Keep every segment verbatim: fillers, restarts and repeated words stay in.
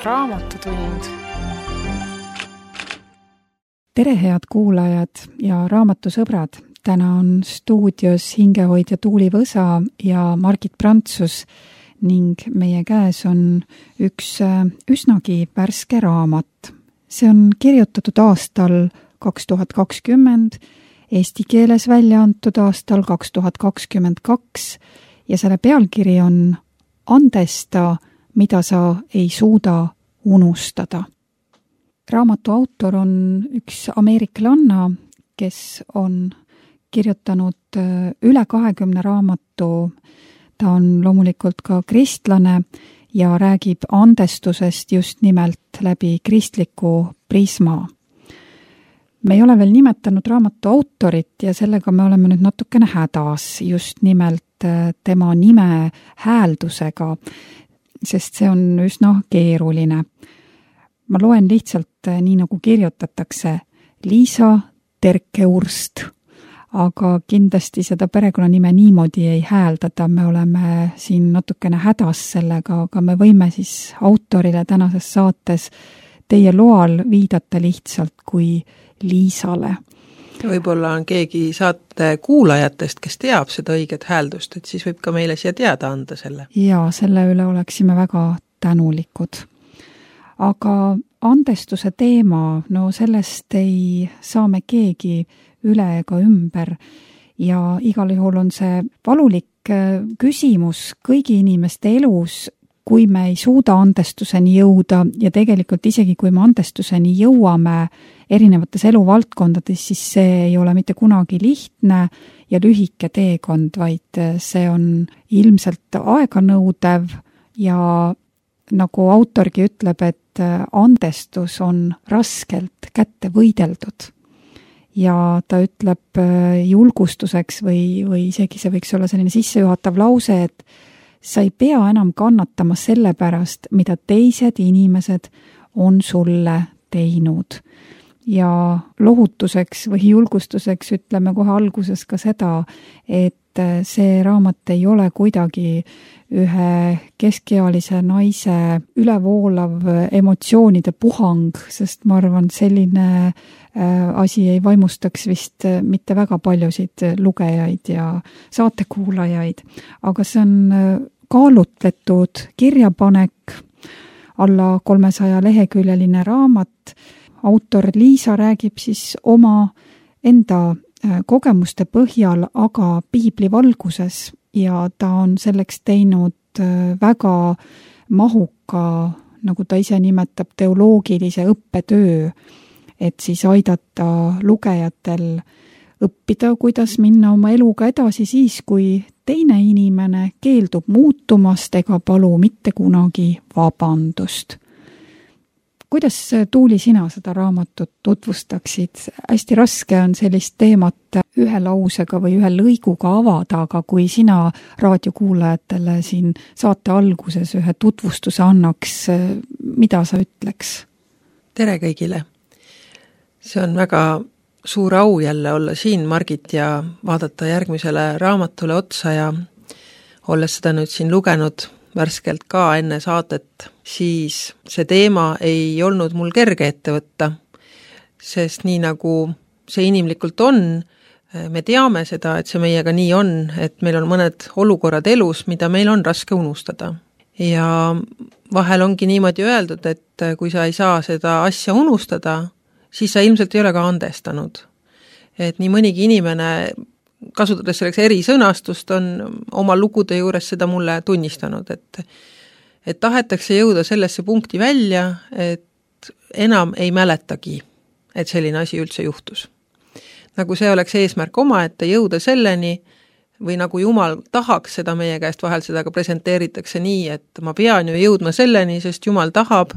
Raamatutund. Tere, head kuulajad ja raamatusõbrad! Täna on stuudios hingehoidja Tuuli Võsa ja Margit Prantsus ning meie käes on üks üsnagi värske raamat. See on kirjutatud aastal kaks tuhat kakskümmend, eesti keeles välja antud aastal kaks tuhat kakskümmend kaks ja selle pealkiri on Andesta, mida sa ei suuda unustada. Raamatu autor on üks ameeriklanna, kes on kirjutanud üle kahekümne raamatu. Ta on loomulikult ka kristlane ja räägib andestusest just nimelt läbi kristliku prisma. Me ei ole veel nimetanud raamatu autorit ja sellega me oleme nüüd natukene hädas just nimelt tema nime hääldusega, sest see on üsna keeruline. Ma loen lihtsalt nii nagu kirjutatakse Liisa Terkeurst, aga kindlasti seda perekonnanime niimoodi ei hääldata, me oleme siin natukene hädas sellega, aga me võime siis autorile tänases saates teie loal viidata lihtsalt kui Liisale. Võib-olla on keegi saate kuulajatest, kes teab seda õiget hääldust, et siis võib ka meile siia teada anda selle. Ja selle üle oleksime väga tänulikud. Aga andestuse teema, no sellest ei saa me keegi üle ega ümber ja igal juhul on see valulik küsimus kõigi inimeste elus, kui me ei suuda andestuseni jõuda ja tegelikult isegi kui me andestuseni jõuame erinevates eluvaldkondades, siis see ei ole mitte kunagi lihtne ja lühike teekond, vaid see on ilmselt aeganõudev ja nagu autorgi ütleb, et andestus on raskelt kätte võideldud. Ja ta ütleb julgustuseks või, või isegi see võiks olla selline sissejuhatav lause, et sa ei pea enam kannatama selle pärast, mida teised inimesed on sulle teinud. Ja lohutuseks või julgustuseks ütleme kohe alguses ka seda, et see raamat ei ole kuidagi ühe keskealise naise ülevoolav emotsioonide puhang, sest ma arvan, selline asi ei vaimustaks vist mitte väga paljusid lugejaid ja saatekuulajaid, aga see on kaalutletud kirjapanek, alla kolmesaja leheküljeline raamat. Autor Liisa räägib siis oma enda kogemuste põhjal, aga piibli valguses ja ta on selleks teinud väga mahuka, nagu ta ise nimetab, teoloogilise õppetöö, et siis aidata lugejatel õppida, kuidas minna oma eluga edasi siis, kui teine inimene keeldub muutumast ega palu mitte kunagi vabandust. Kuidas, Tuuli, sina seda raamatut tutvustaksid? Hästi raske on sellist teemat ühe lausega või ühe lõiguga avada, aga kui sina raadiokuulajatele siin saate alguses ühe tutvustuse annaks, mida sa ütleks? Tere kõigile! See on väga suur au jälle olla siin, Margit, ja vaadata järgmisele raamatule otsa ja olles seda nüüd siin lugenud värskelt ka enne saadet, siis see teema ei olnud mul kerge ette võtta, sest nii nagu see inimlikult on, me teame seda, et see meiega nii on, et meil on mõned olukorrad elus, mida meil on raske unustada. Ja vahel ongi niimoodi öeldud, et kui sa ei saa seda asja unustada, siis sa ilmselt ei ole ka andestanud. Et nii mõnigi inimene, kasutades selleks eri sõnastust, on oma lugude juures seda mulle tunnistanud, et, et tahetakse jõuda sellesse punkti välja, et enam ei mäletagi, et selline asi üldse juhtus. Nagu see oleks eesmärk omaette jõuda selleni, või nagu Jumal tahaks seda meie käest, vahel seda ka presenteeritakse nii, et ma pean ju jõudma selleni, sest Jumal tahab,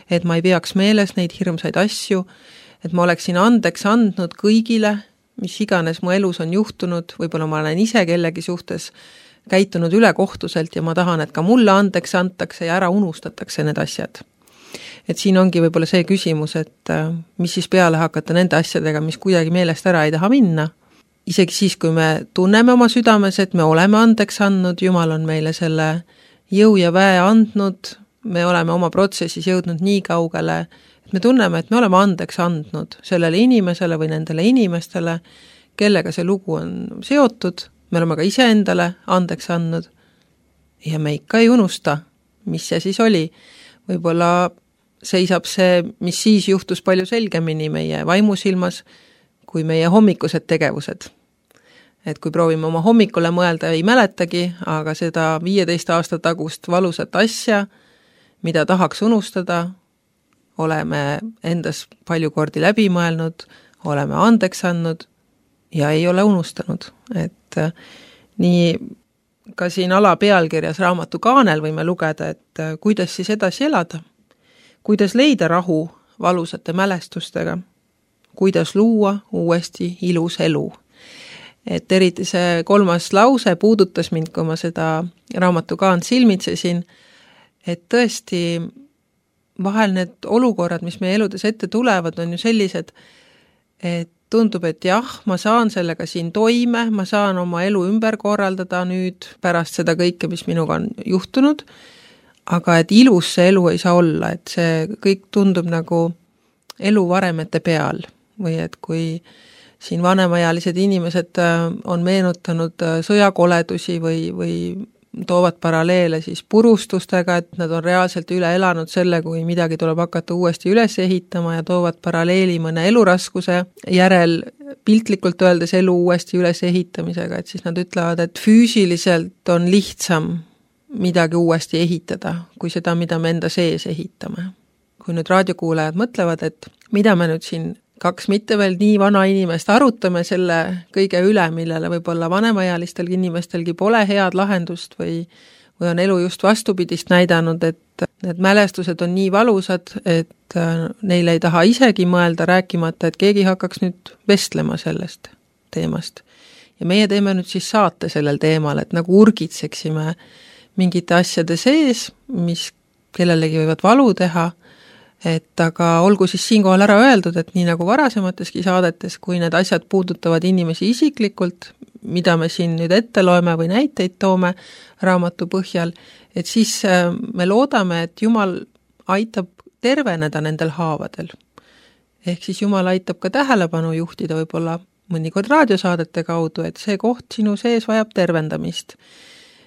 et ma ei peaks meeles neid hirmsaid asju, et ma oleksin andeks andnud kõigile, mis iganes mu elus on juhtunud, võib-olla ma olen ise kellegi suhtes käitunud ülekohtuselt ja ma tahan, et ka mulle andeks antakse ja ära unustatakse need asjad. Et siin ongi võib-olla see küsimus, et mis siis peale hakata nende asjadega, mis kuidagi meelest ära ei taha minna. Isegi siis, kui me tunneme oma südames, et me oleme andeks andnud, Jumal on meile selle jõu ja väe andnud, me oleme oma protsessis jõudnud nii kaugele, et me tunneme, et me oleme andeks andnud sellele inimesele või nendele inimestele, kellega see lugu on seotud, me oleme ka iseendale andeks andnud ja me ikka ei unusta, mis see siis oli. Võib-olla seisab see, mis siis juhtus palju selgemini meie vaimusilmas, kui meie hommikused tegevused. Et kui proovime oma hommikule mõelda, ei mäletagi, aga seda viieteist aasta tagust valusat asja, mida tahaks unustada, oleme endas palju kordi läbi mõelnud, oleme andeks andnud ja ei ole unustanud. Et nii ka siin ala pealkirjas raamatu kaanel võime lugeda, et kuidas siis edasi elada, kuidas leida rahu valusate mälestustega, kuidas luua uuesti ilus elu. Et eriti see kolmas lause puudutas mind, kui ma seda raamatu kaant silmitsesin, et tõesti vahel need olukorrad, mis meie eludes ette tulevad, on ju sellised, et tundub, et jah, ma saan sellega siin toime, ma saan oma elu ümber korraldada nüüd pärast seda kõike, mis minuga on juhtunud, aga et ilus see elu ei saa olla, et see kõik tundub nagu elu varemete peal või et kui siin vanemaealised inimesed on meenutanud sõjakoledusi või, või toovad paralleele siis purustustega, et nad on reaalselt üle elanud selle, kui midagi tuleb hakata uuesti üles ehitama ja toovad paralleeli mõne eluraskuse järel piltlikult öeldes elu uuesti üles ehitamisega, et siis nad ütlevad, et füüsiliselt on lihtsam midagi uuesti ehitada, kui seda, mida me enda sees ehitame. Kui nüüd raadiokuulajad mõtlevad, et mida me nüüd siin kaks mitte veel nii vana inimest arutame selle kõige üle, millele võib-olla vanemaealistelgi inimestelgi pole head lahendust või, või on elu just vastupidist näidanud, et need mälestused on nii valusad, et neile ei taha isegi mõelda rääkimata, et keegi hakkaks nüüd vestlema sellest teemast. Ja meie teeme nüüd siis saate sellel teemal, et nagu urgitseksime mingite asjade sees, mis kellelegi võivad valu teha, et aga olgu siis siinkohal ära öeldud, et nii nagu varasemateski saadetes, kui need asjad puudutavad inimesi isiklikult, mida me siin nüüd ette loeme või näiteid toome raamatu põhjal, et siis me loodame, et Jumal aitab terveneda nendel haavadel. Ehk siis Jumal aitab ka tähelepanu juhtida võib-olla mõnikord raadiosaadete kaudu, et see koht sinu sees vajab tervendamist.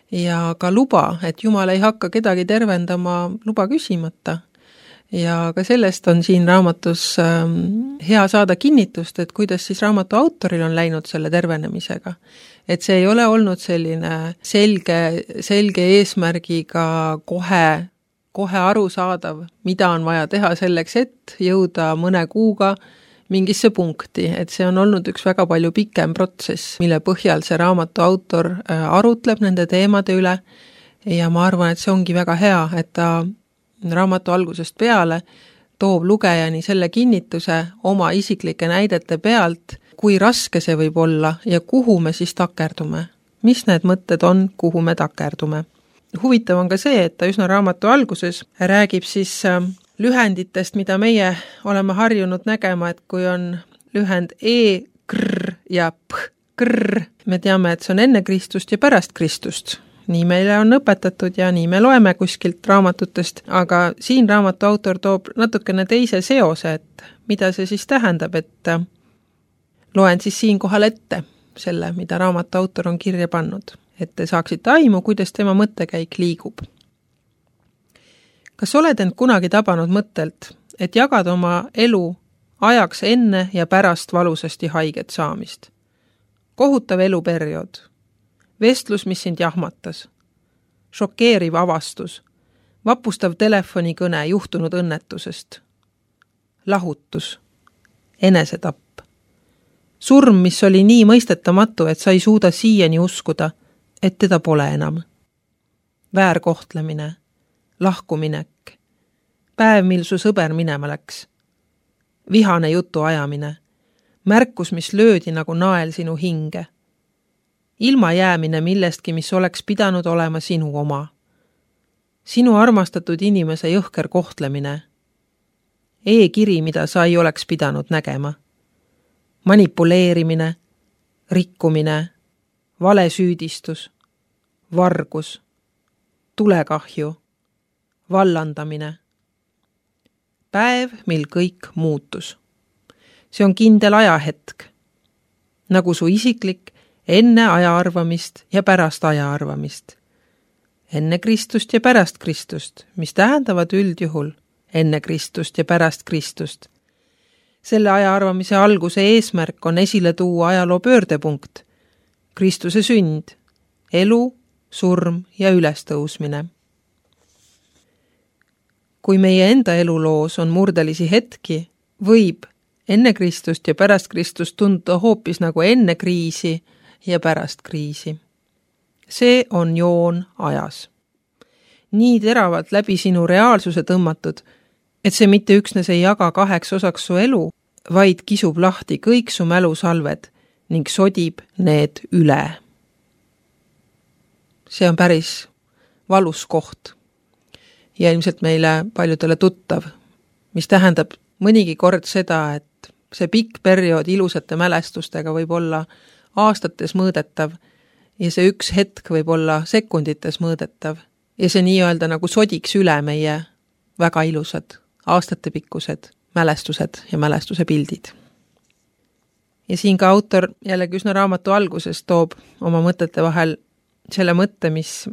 Ja ka luba, et Jumal ei hakka kedagi tervendama luba küsimata. Ja ka sellest on siin raamatus hea saada kinnitust, et kuidas siis raamatu autoril on läinud selle tervenemisega. Et see ei ole olnud selline selge, selge eesmärgiga kohe, kohe aru saadav, mida on vaja teha selleks, et jõuda mõne kuuga mingisse punkti. Et see on olnud üks väga palju pikem protsess, mille põhjal see raamatu autor arutleb nende teemade üle. Ja ma arvan, et see ongi väga hea, et ta raamatu algusest peale toob lugejani selle kinnituse oma isiklike näidete pealt, kui raske see võib olla ja kuhu me siis takerdume. Mis need mõtted on, kuhu me takerdume. Huvitav on ka see, et ta üsna raamatu alguses räägib siis lühenditest, mida meie oleme harjunud nägema, et kui on lühend E, krr ja p, krr, me teame, et see on enne Kristust ja pärast Kristust. Nii meile on õpetatud ja nii me loeme kuskilt raamatutest, aga siin raamatu autor toob natukene teise seose, et mida see siis tähendab, et loen siis siinkohal ette selle, mida raamatu autor on kirja pannud, et te saaksite aimu, kuidas tema mõttekäik liigub. Kas oled end kunagi tabanud mõttelt, et jagad oma elu ajaks enne ja pärast valusasti haiget saamist? Kohutav eluperiood. Vestlus, mis sind jahmatas, šokeeriv avastus, vapustav telefonikõne juhtunud õnnetusest, lahutus, enesetapp, surm, mis oli nii mõistetamatu, et sa ei suuda siiani uskuda, et teda pole enam, väärkohtlemine, lahkuminek, päev, mil su sõber minema läks, vihane jutu ajamine, märkus, mis löödi nagu nael sinu hinge, ilma jäämine millestki, mis oleks pidanud olema sinu oma. Sinu armastatud inimese jõhker kohtlemine. E-kiri, mida sa ei oleks pidanud nägema. Manipuleerimine, rikkumine, valesüüdistus, vargus, tulekahju, vallandamine. Päev, mil kõik muutus. See on kindel ajahetk, nagu su isiklik enne aja arvamist ja pärast aja arvamist. Enne Kristust ja pärast Kristust, mis tähendavad üldjuhul enne Kristust ja pärast Kristust. Selle aja arvamise alguse eesmärk on esile tuua ajaloo pöördepunkt, Kristuse sünd, elu, surm ja ülestõusmine. Kui meie enda eluloos on murdelisi hetki, võib enne Kristust ja pärast Kristust tunduda hoopis nagu enne kriisi ja pärast kriisi. See on joon ajas. Nii teravalt läbi sinu reaalsuse tõmmatud, et see mitte üksnes ei jaga kaheks osaks su elu, vaid kisub lahti kõik su mälusalved ning sodib need üle. See on päris valus koht ja ilmselt meile paljudele tuttav, mis tähendab mõnigi kord seda, et see pikk periood ilusate mälestustega võib olla aastates mõõdetav ja see üks hetk võib olla sekundites mõõdetav ja see nii-öelda nagu sodiks üle meie väga ilusad aastatepikkused mälestused ja mälestuse pildid. Ja siin ka autor jällegi üsna raamatu alguses toob oma mõtete vahel selle mõtte, mis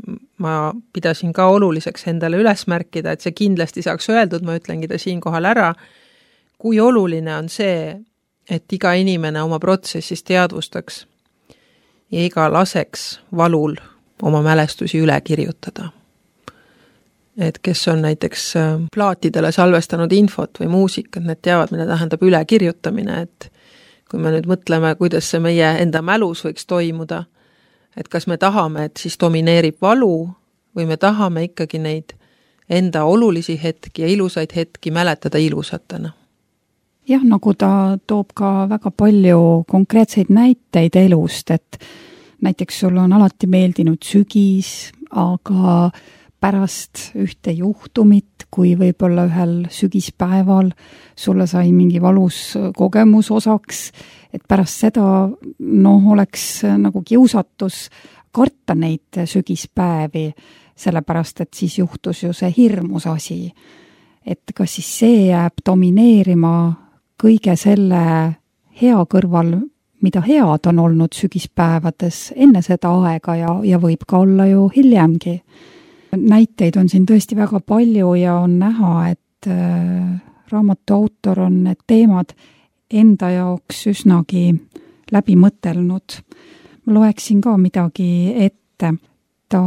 ma pidasin ka oluliseks endale üles märkida, et see kindlasti saaks öeldud, ma ütlengi ta siinkohal ära, kui oluline on see, et iga inimene oma protsessis teadvustaks ja iga laseks valul oma mälestusi üle kirjutada. Et kes on näiteks plaatidele salvestanud infot või muusikat, need teavad, mida tähendab ülekirjutamine, et kui me nüüd mõtleme, kuidas see meie enda mälus võiks toimuda, et kas me tahame, et siis domineerib valu või me tahame ikkagi neid enda olulisi hetki ja ilusaid hetki mäletada ilusatena. Jah, nagu ta toob ka väga palju konkreetseid näiteid elust, et näiteks sul on alati meeldinud sügis, aga pärast ühte juhtumit, kui võib-olla ühel sügispäeval sulle sai mingi valus kogemus osaks, et pärast seda noh, oleks nagu kiusatus karta neid sügispäevi, sellepärast et siis juhtus ju see hirmus asi. Et kas siis see jääb domineerima kõige selle hea kõrval, mida head on olnud sügispäevades enne seda aega ja, ja võib ka olla ju hiljemgi. Näiteid on siin tõesti väga palju ja on näha, et äh, raamatu autor on need teemad enda jaoks üsnagi läbi mõtelnud. Ma loeksin ka midagi ette. Ta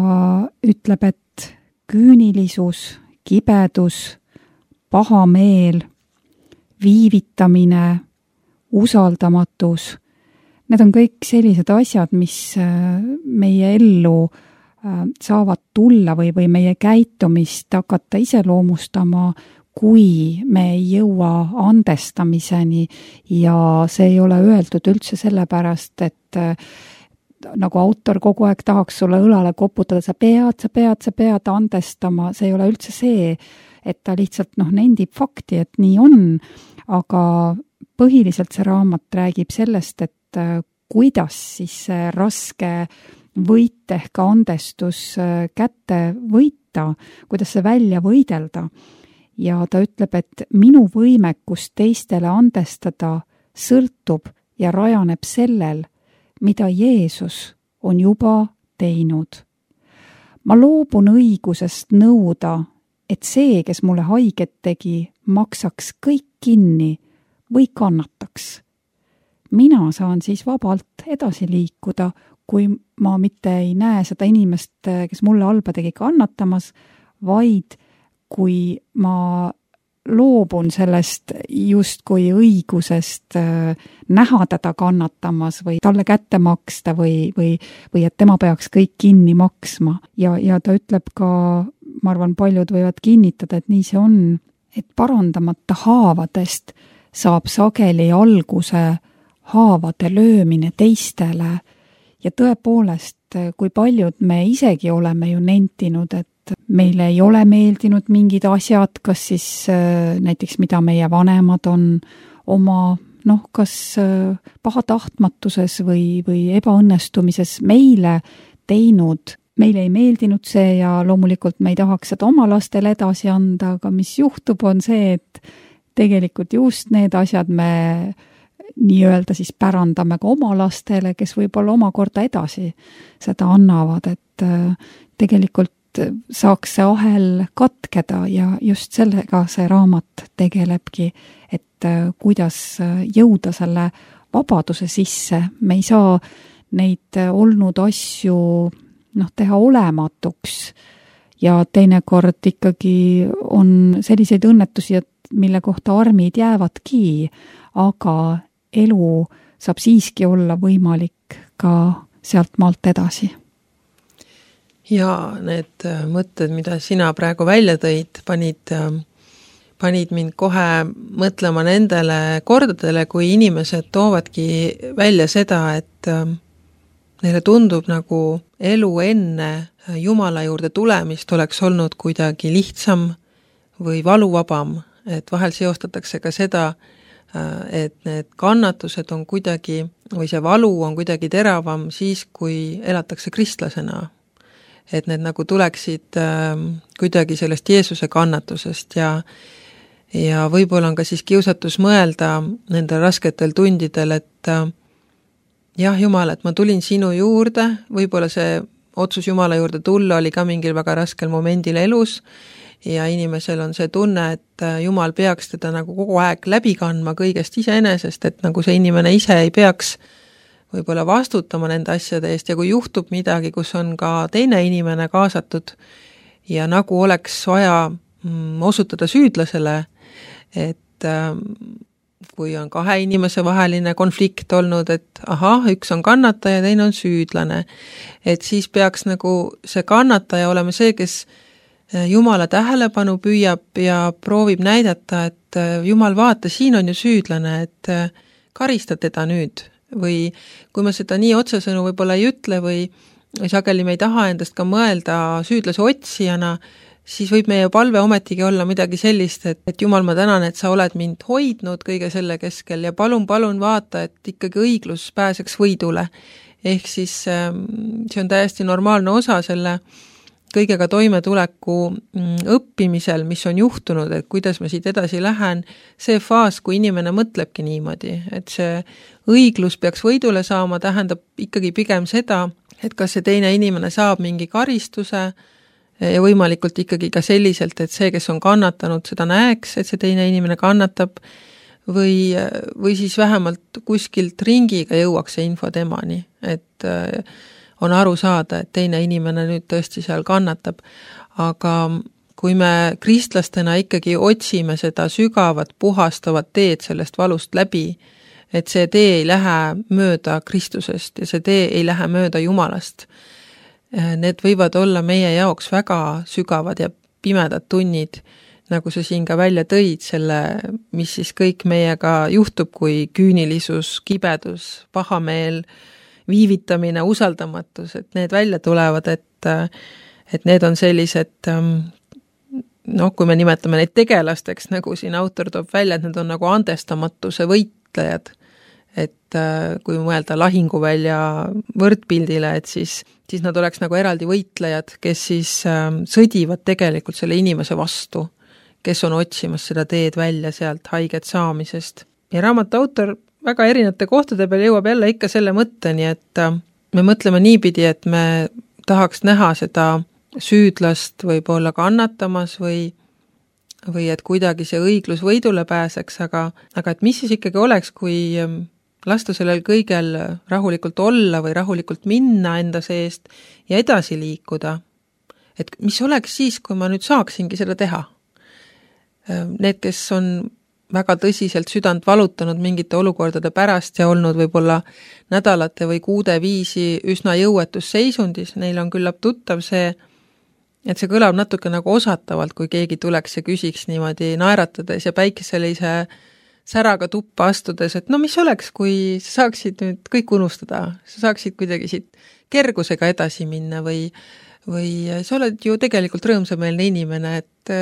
ütleb, et küünilisus, kibedus, paha meel, viivitamine, usaldamatus, need on kõik sellised asjad, mis äh, meie ellu saavad tulla või, või meie käitumist hakata iseloomustama, kui me ei jõua andestamiseni ja see ei ole öeldud üldse sellepärast, et nagu autor kogu aeg tahaks sulle õlale koputada, sa pead, sa pead, sa pead andestama, see ei ole üldse see, et ta lihtsalt noh, nendib fakti, et nii on, aga põhiliselt see raamat räägib sellest, et kuidas siis see raske võit ehk andestus kätte võita, kuidas see välja võidelda. Ja ta ütleb, et minu võimekus teistele andestada sõltub ja rajaneb sellel, mida Jeesus on juba teinud. Ma loobun õigusest nõuda, et see, kes mulle haiget tegi, maksaks kõik kinni või kannataks. Mina saan siis vabalt edasi liikuda, kui ma mitte ei näe seda inimest, kes mulle halba tegi, kannatamas, vaid kui ma loobun sellest justkui õigusest näha teda kannatamas või talle kätte maksta või, või, või et tema peaks kõik kinni maksma. Ja, ja ta ütleb ka, ma arvan, paljud võivad kinnitada, et nii see on, et parandamata haavadest saab sageli alguse haavade löömine teistele. Ja tõepoolest, kui paljud me isegi oleme ju nentinud, et meile ei ole meeldinud mingid asjad, kas siis näiteks mida meie vanemad on oma, noh, kas pahatahtmatuses või, või ebaõnnestumises meile teinud meile ei meeldinud see ja loomulikult me ei tahaks seda oma lastele edasi anda, aga mis juhtub, on see, et tegelikult just need asjad me nii-öelda siis pärandame ka oma lastele, kes võib-olla omakorda edasi seda annavad, et tegelikult saaks see ahel katkeda ja just sellega see raamat tegelebki, et kuidas jõuda selle vabaduse sisse. Me ei saa neid olnud asju noh, teha olematuks ja teinekord ikkagi on selliseid õnnetusi, et mille kohta armid jäävadki, aga elu saab siiski olla võimalik ka sealt maalt edasi. Ja need mõtted, mida sina praegu välja tõid, panid, panid mind kohe mõtlema nendele kordadele, kui inimesed toovadki välja seda, et neile tundub nagu elu enne Jumala juurde tulemist oleks olnud kuidagi lihtsam või valuvabam, et vahel seostatakse ka seda, et need kannatused on kuidagi, või see valu on kuidagi teravam siis, kui elatakse kristlasena. Et need nagu tuleksid kuidagi sellest Jeesuse kannatusest ja, ja võib-olla on ka siis kiusatus mõelda nendel rasketel tundidel, et jah, Jumal, et ma tulin sinu juurde, võib-olla see otsus Jumala juurde tulla oli ka mingil väga raskel momendil elus ja inimesel on see tunne, et Jumal peaks teda nagu kogu aeg läbi kandma kõigest iseenesest, et nagu see inimene ise ei peaks võib-olla vastutama nende asjade eest ja kui juhtub midagi, kus on ka teine inimene kaasatud ja nagu oleks vaja mm, osutada süüdlasele, et ähm, kui on kahe inimese vaheline konflikt olnud, et ahah, üks on kannataja, teine on süüdlane, et siis peaks nagu see kannataja olema see, kes Jumala tähelepanu püüab ja proovib näidata, et Jumal, vaata, siin on ju süüdlane, et karista teda nüüd. Või kui me seda nii otsesõnu võib-olla ei ütle või sageli me ei taha endast ka mõelda süüdlase otsijana, siis võib meie palve ometigi olla midagi sellist, et, et Jumal, ma tänan, et sa oled mind hoidnud kõige selle keskel ja palun, palun vaata, et ikkagi õiglus pääseks võidule. Ehk siis see on täiesti normaalne osa selle kõigega toimetuleku õppimisel, mis on juhtunud, et kuidas ma siit edasi lähen, see faas, kui inimene mõtlebki niimoodi, et see õiglus peaks võidule saama, tähendab ikkagi pigem seda, et kas see teine inimene saab mingi karistuse ja võimalikult ikkagi ka selliselt, et see, kes on kannatanud, seda näeks, et see teine inimene kannatab või, või siis vähemalt kuskilt ringiga jõuaks see info temani, et on aru saada, et teine inimene nüüd tõesti seal kannatab, aga kui me kristlastena ikkagi otsime seda sügavat, puhastavat teed sellest valust läbi, et see tee ei lähe mööda Kristusest ja see tee ei lähe mööda Jumalast. Need võivad olla meie jaoks väga sügavad ja pimedad tunnid, nagu sa siin ka välja tõid, selle, mis siis kõik meiega juhtub, kui küünilisus, kibedus, pahameel, viivitamine, usaldamatus, et need välja tulevad, et, et need on sellised, noh, kui me nimetame neid tegelasteks, nagu siin autor toob välja, et need on nagu andestamatuse võitlejad, et kui mõelda lahinguvälja võrdpildile, et siis, siis nad oleks nagu eraldi võitlejad, kes siis sõdivad tegelikult selle inimese vastu, kes on otsimas seda teed välja sealt haiget saamisest. Ja raamatu autor väga erinevate kohtade peal jõuab jälle ikka selle mõtteni, et me mõtleme niipidi, et me tahaks näha seda süüdlast võib-olla kannatamas või, või et kuidagi see õiglus võidule pääseks, aga, aga et mis siis ikkagi oleks, kui lasta sellel kõigel rahulikult olla või rahulikult minna enda seest ja edasi liikuda. Et mis oleks siis, kui ma nüüd saaksingi seda teha? Need, kes on väga tõsiselt südant valutanud mingite olukordade pärast ja olnud võib-olla nädalate või kuude viisi üsna jõuetus seisundis, neil on küllap tuttav see, et see kõlab natuke nagu osatavalt, kui keegi tuleks ja küsiks niimoodi naeratades ja päikeselise säraga tuppa astudes, et no mis oleks, kui sa saaksid nüüd kõik unustada, sa saaksid kuidagi siit kergusega edasi minna või, või sa oled ju tegelikult rõõmsameelne inimene, et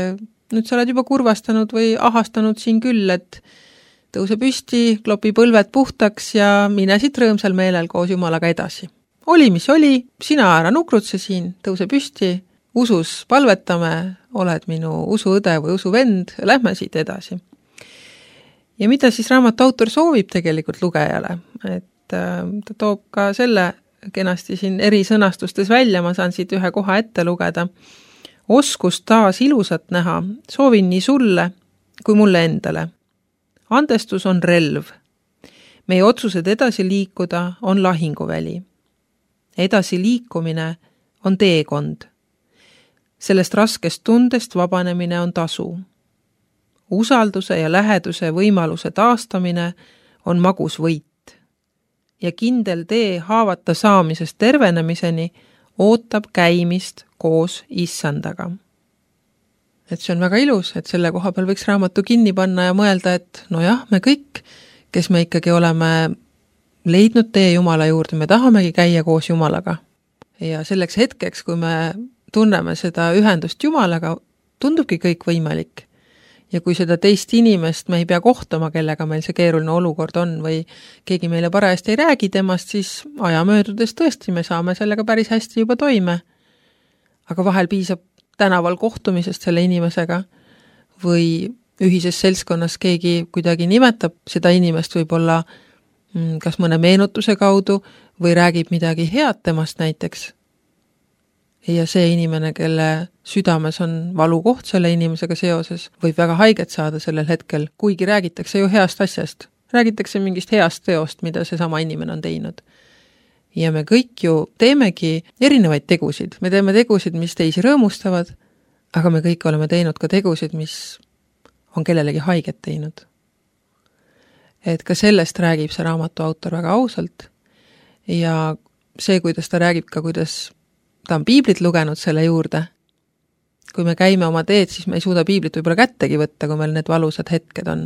nüüd sa oled juba kurvastanud või ahastanud siin küll, et tõuse püsti, klopi põlved puhtaks ja mine siit rõõmsal meelel koos Jumalaga edasi. oli, mis oli, sina ära nukrutse siin, tõuse püsti, usus palvetame, oled minu usuõde või usuvend, lähme siit edasi. Ja mida siis raamatu autor soovib tegelikult lugejale, et ta toob ka selle kenasti siin eri sõnastustes välja, ma saan siit ühe koha ette lugeda. Oskust taas ilusat näha, soovin nii sulle kui mulle endale. Andestus on relv. Meie otsused edasi liikuda on lahinguväli. Edasi liikumine on teekond. Sellest raskest tundest vabanemine on tasu. Usalduse ja läheduse võimaluse taastamine on magus võit. Ja kindel tee haavata saamisest tervenemiseni ootab käimist koos issandaga. Et see on väga ilus, et selle koha peal võiks raamatu kinni panna ja mõelda, et no jah, me kõik, kes me ikkagi oleme leidnud tee Jumala juurde, me tahamegi käia koos Jumalaga. Ja selleks hetkeks, kui me tunneme seda ühendust Jumalaga, tundubki kõik võimalik. Ja kui seda teist inimest me ei pea kohtama, kellega meil see keeruline olukord on või keegi meile parajasti ei räägi temast, siis aja möödudes tõesti me saame sellega päris hästi juba toime. Aga vahel piisab tänaval kohtumisest selle inimesega või ühises seltskonnas keegi kuidagi nimetab seda inimest võib-olla kas mõne meenutuse kaudu või räägib midagi head temast näiteks. Ja see inimene, kelle südames on valukoht selle inimesega seoses, võib väga haiget saada sellel hetkel, kuigi räägitakse ju heast asjast. Räägitakse mingist heast teost, mida see sama inimene on teinud. Ja me kõik ju teemegi erinevaid tegusid. Me teeme tegusid, mis teisi rõõmustavad, aga me kõik oleme teinud ka tegusid, mis on kellelegi haiget teinud. Et ka sellest räägib see raamatu autor väga ausalt. Ja see, kuidas ta räägib ka, kuidas ta on piiblit lugenud selle juurde. Kui me käime oma teed, siis me ei suuda piiblit võib-olla kättegi võtta, kui meil need valusad hetked on.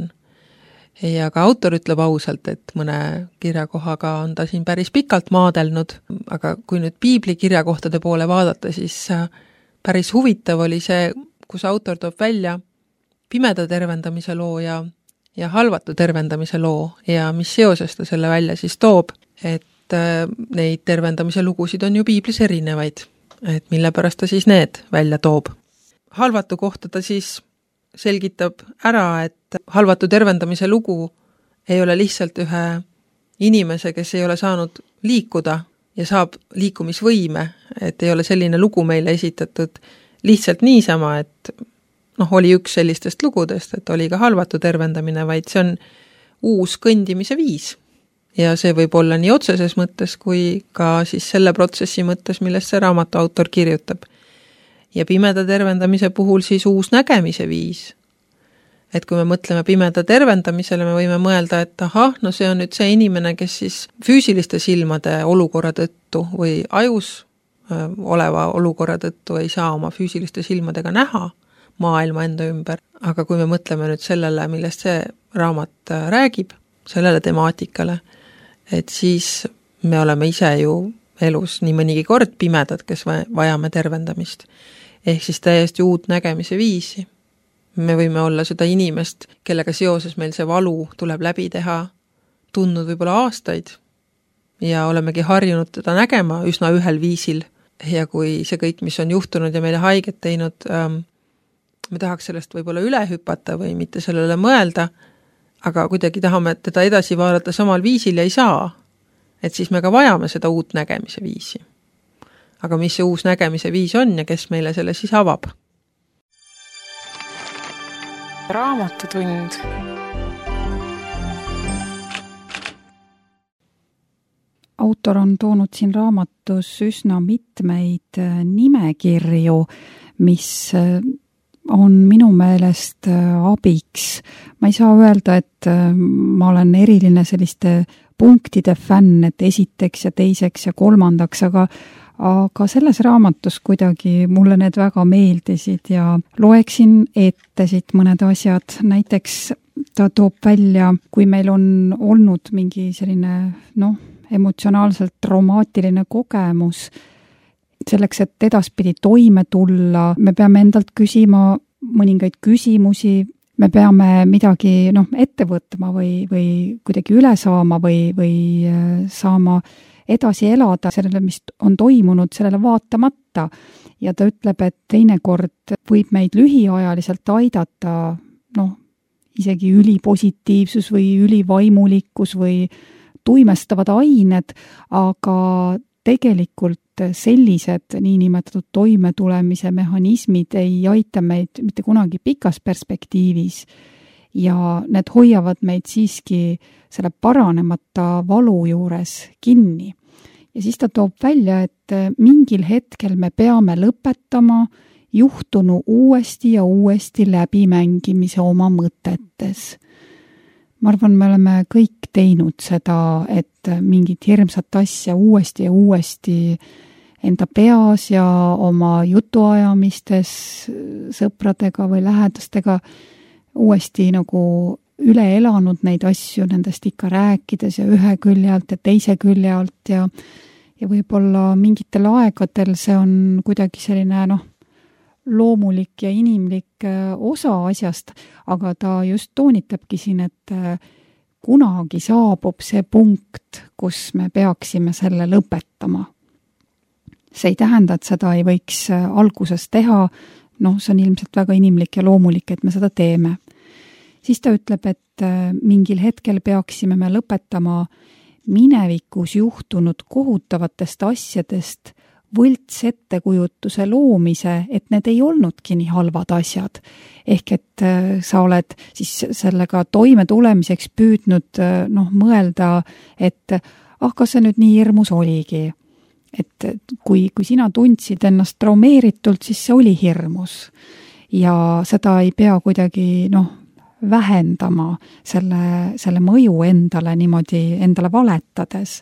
Ja ka autor ütleb ausalt, et mõne kirjakohaga on ta siin päris pikalt maadelnud, aga kui nüüd piibli kirjakohtade poole vaadata, siis päris huvitav oli see, kus autor toob välja pimeda tervendamise loo ja, ja halvatu tervendamise loo ja mis seoses ta selle välja siis toob, et neid tervendamise lugusid on ju piiblis erinevaid, et mille pärast ta siis need välja toob. Halvatu kohta ta siis selgitab ära, et halvatu tervendamise lugu ei ole lihtsalt ühe inimese, kes ei ole saanud liikuda ja saab liikumisvõime, et ei ole selline lugu meile esitatud lihtsalt niisama, et noh, oli üks sellistest lugudest, et oli ka halvatu tervendamine, vaid see on uus kõndimise viis. Ja see võib olla nii otseses mõttes kui ka siis selle protsessi mõttes, millest see raamatu autor kirjutab. Ja pimeda tervendamise puhul siis uus nägemise viis. Et kui me mõtleme pimeda tervendamisele, me võime mõelda, et ahah, no see on nüüd see inimene, kes siis füüsiliste silmade olukorra tõttu või ajus oleva olukorra tõttu ei saa oma füüsiliste silmadega näha maailma enda ümber. Aga kui me mõtleme nüüd sellele, millest see raamat räägib, sellele temaatikale, et siis me oleme ise ju elus nii mõnigi kord pimedad, kes vajame tervendamist. Ehk siis täiesti uut nägemise viisi. Me võime olla seda inimest, kellega seoses meil see valu tuleb läbi teha, tundnud võib-olla aastaid ja olemegi harjunud teda nägema üsna ühel viisil. Ja kui see kõik, mis on juhtunud ja meile haiget teinud, ähm, me tahaks sellest võib-olla üle hüpata või mitte sellele mõelda, aga kuidagi tahame teda edasi vaadata samal viisil ja ei saa, et siis me ka vajame seda uut nägemise viisi. Aga mis see uus nägemise viis on ja kes meile selle siis avab? Raamatutund. Autor on toonud siin raamatus üsna mitmeid nimekirju, mis on minu meelest abiks. Ma ei saa öelda, et ma olen eriline selliste punktide fänn, et esiteks ja teiseks ja kolmandaks, aga, aga selles raamatus kuidagi mulle need väga meeldisid ja loeksin ette siit mõned asjad. Näiteks ta toob välja, kui meil on olnud mingi selline, noh, emotsionaalselt traumaatiline kogemus, selleks, et edaspidi toime tulla, me peame endalt küsima mõningaid küsimusi, me peame midagi noh, ette võtma või, või kuidagi üle saama või, või saama edasi elada sellele, mis on toimunud, sellele vaatamata. Ja ta ütleb, et teinekord võib meid lühiajaliselt aidata, noh, isegi ülipositiivsus või ülivaimulikkus või tuimestavad ained, aga tegelikult sellised niinimetatud toimetulemise mehhanismid ei aita meid mitte kunagi pikas perspektiivis ja need hoiavad meid siiski selle paranemata valu juures kinni. Ja siis ta toob välja, et mingil hetkel me peame lõpetama juhtunu uuesti ja uuesti läbimängimise oma mõtetes. Ma arvan, me oleme kõik teinud seda, et mingit hirmsat asja uuesti ja uuesti enda peas ja oma jutuajamistes sõpradega või lähedastega uuesti nagu üle elanud neid asju, nendest ikka rääkides ja ühe külje alt ja teise külje alt ja, ja võib-olla mingitel aegadel see on kuidagi selline noh, loomulik ja inimlik osa asjast, aga ta just toonitabki siin, et kunagi saabub see punkt, kus me peaksime selle lõpetama. See ei tähenda, et seda ei võiks alguses teha, noh, see on ilmselt väga inimlik ja loomulik, et me seda teeme. Siis ta ütleb, et mingil hetkel peaksime me lõpetama minevikus juhtunud kohutavatest asjadest võlts ettekujutuse loomise, et need ei olnudki nii halvad asjad. Ehk et sa oled siis sellega toime tulemiseks püüdnud noh, mõelda, et ah, kas see nüüd nii hirmus oligi. Et kui, kui sina tundsid ennast traumeeritult, siis see oli hirmus. Ja seda ei pea kuidagi noh, vähendama selle, selle mõju endale niimoodi endale valetades.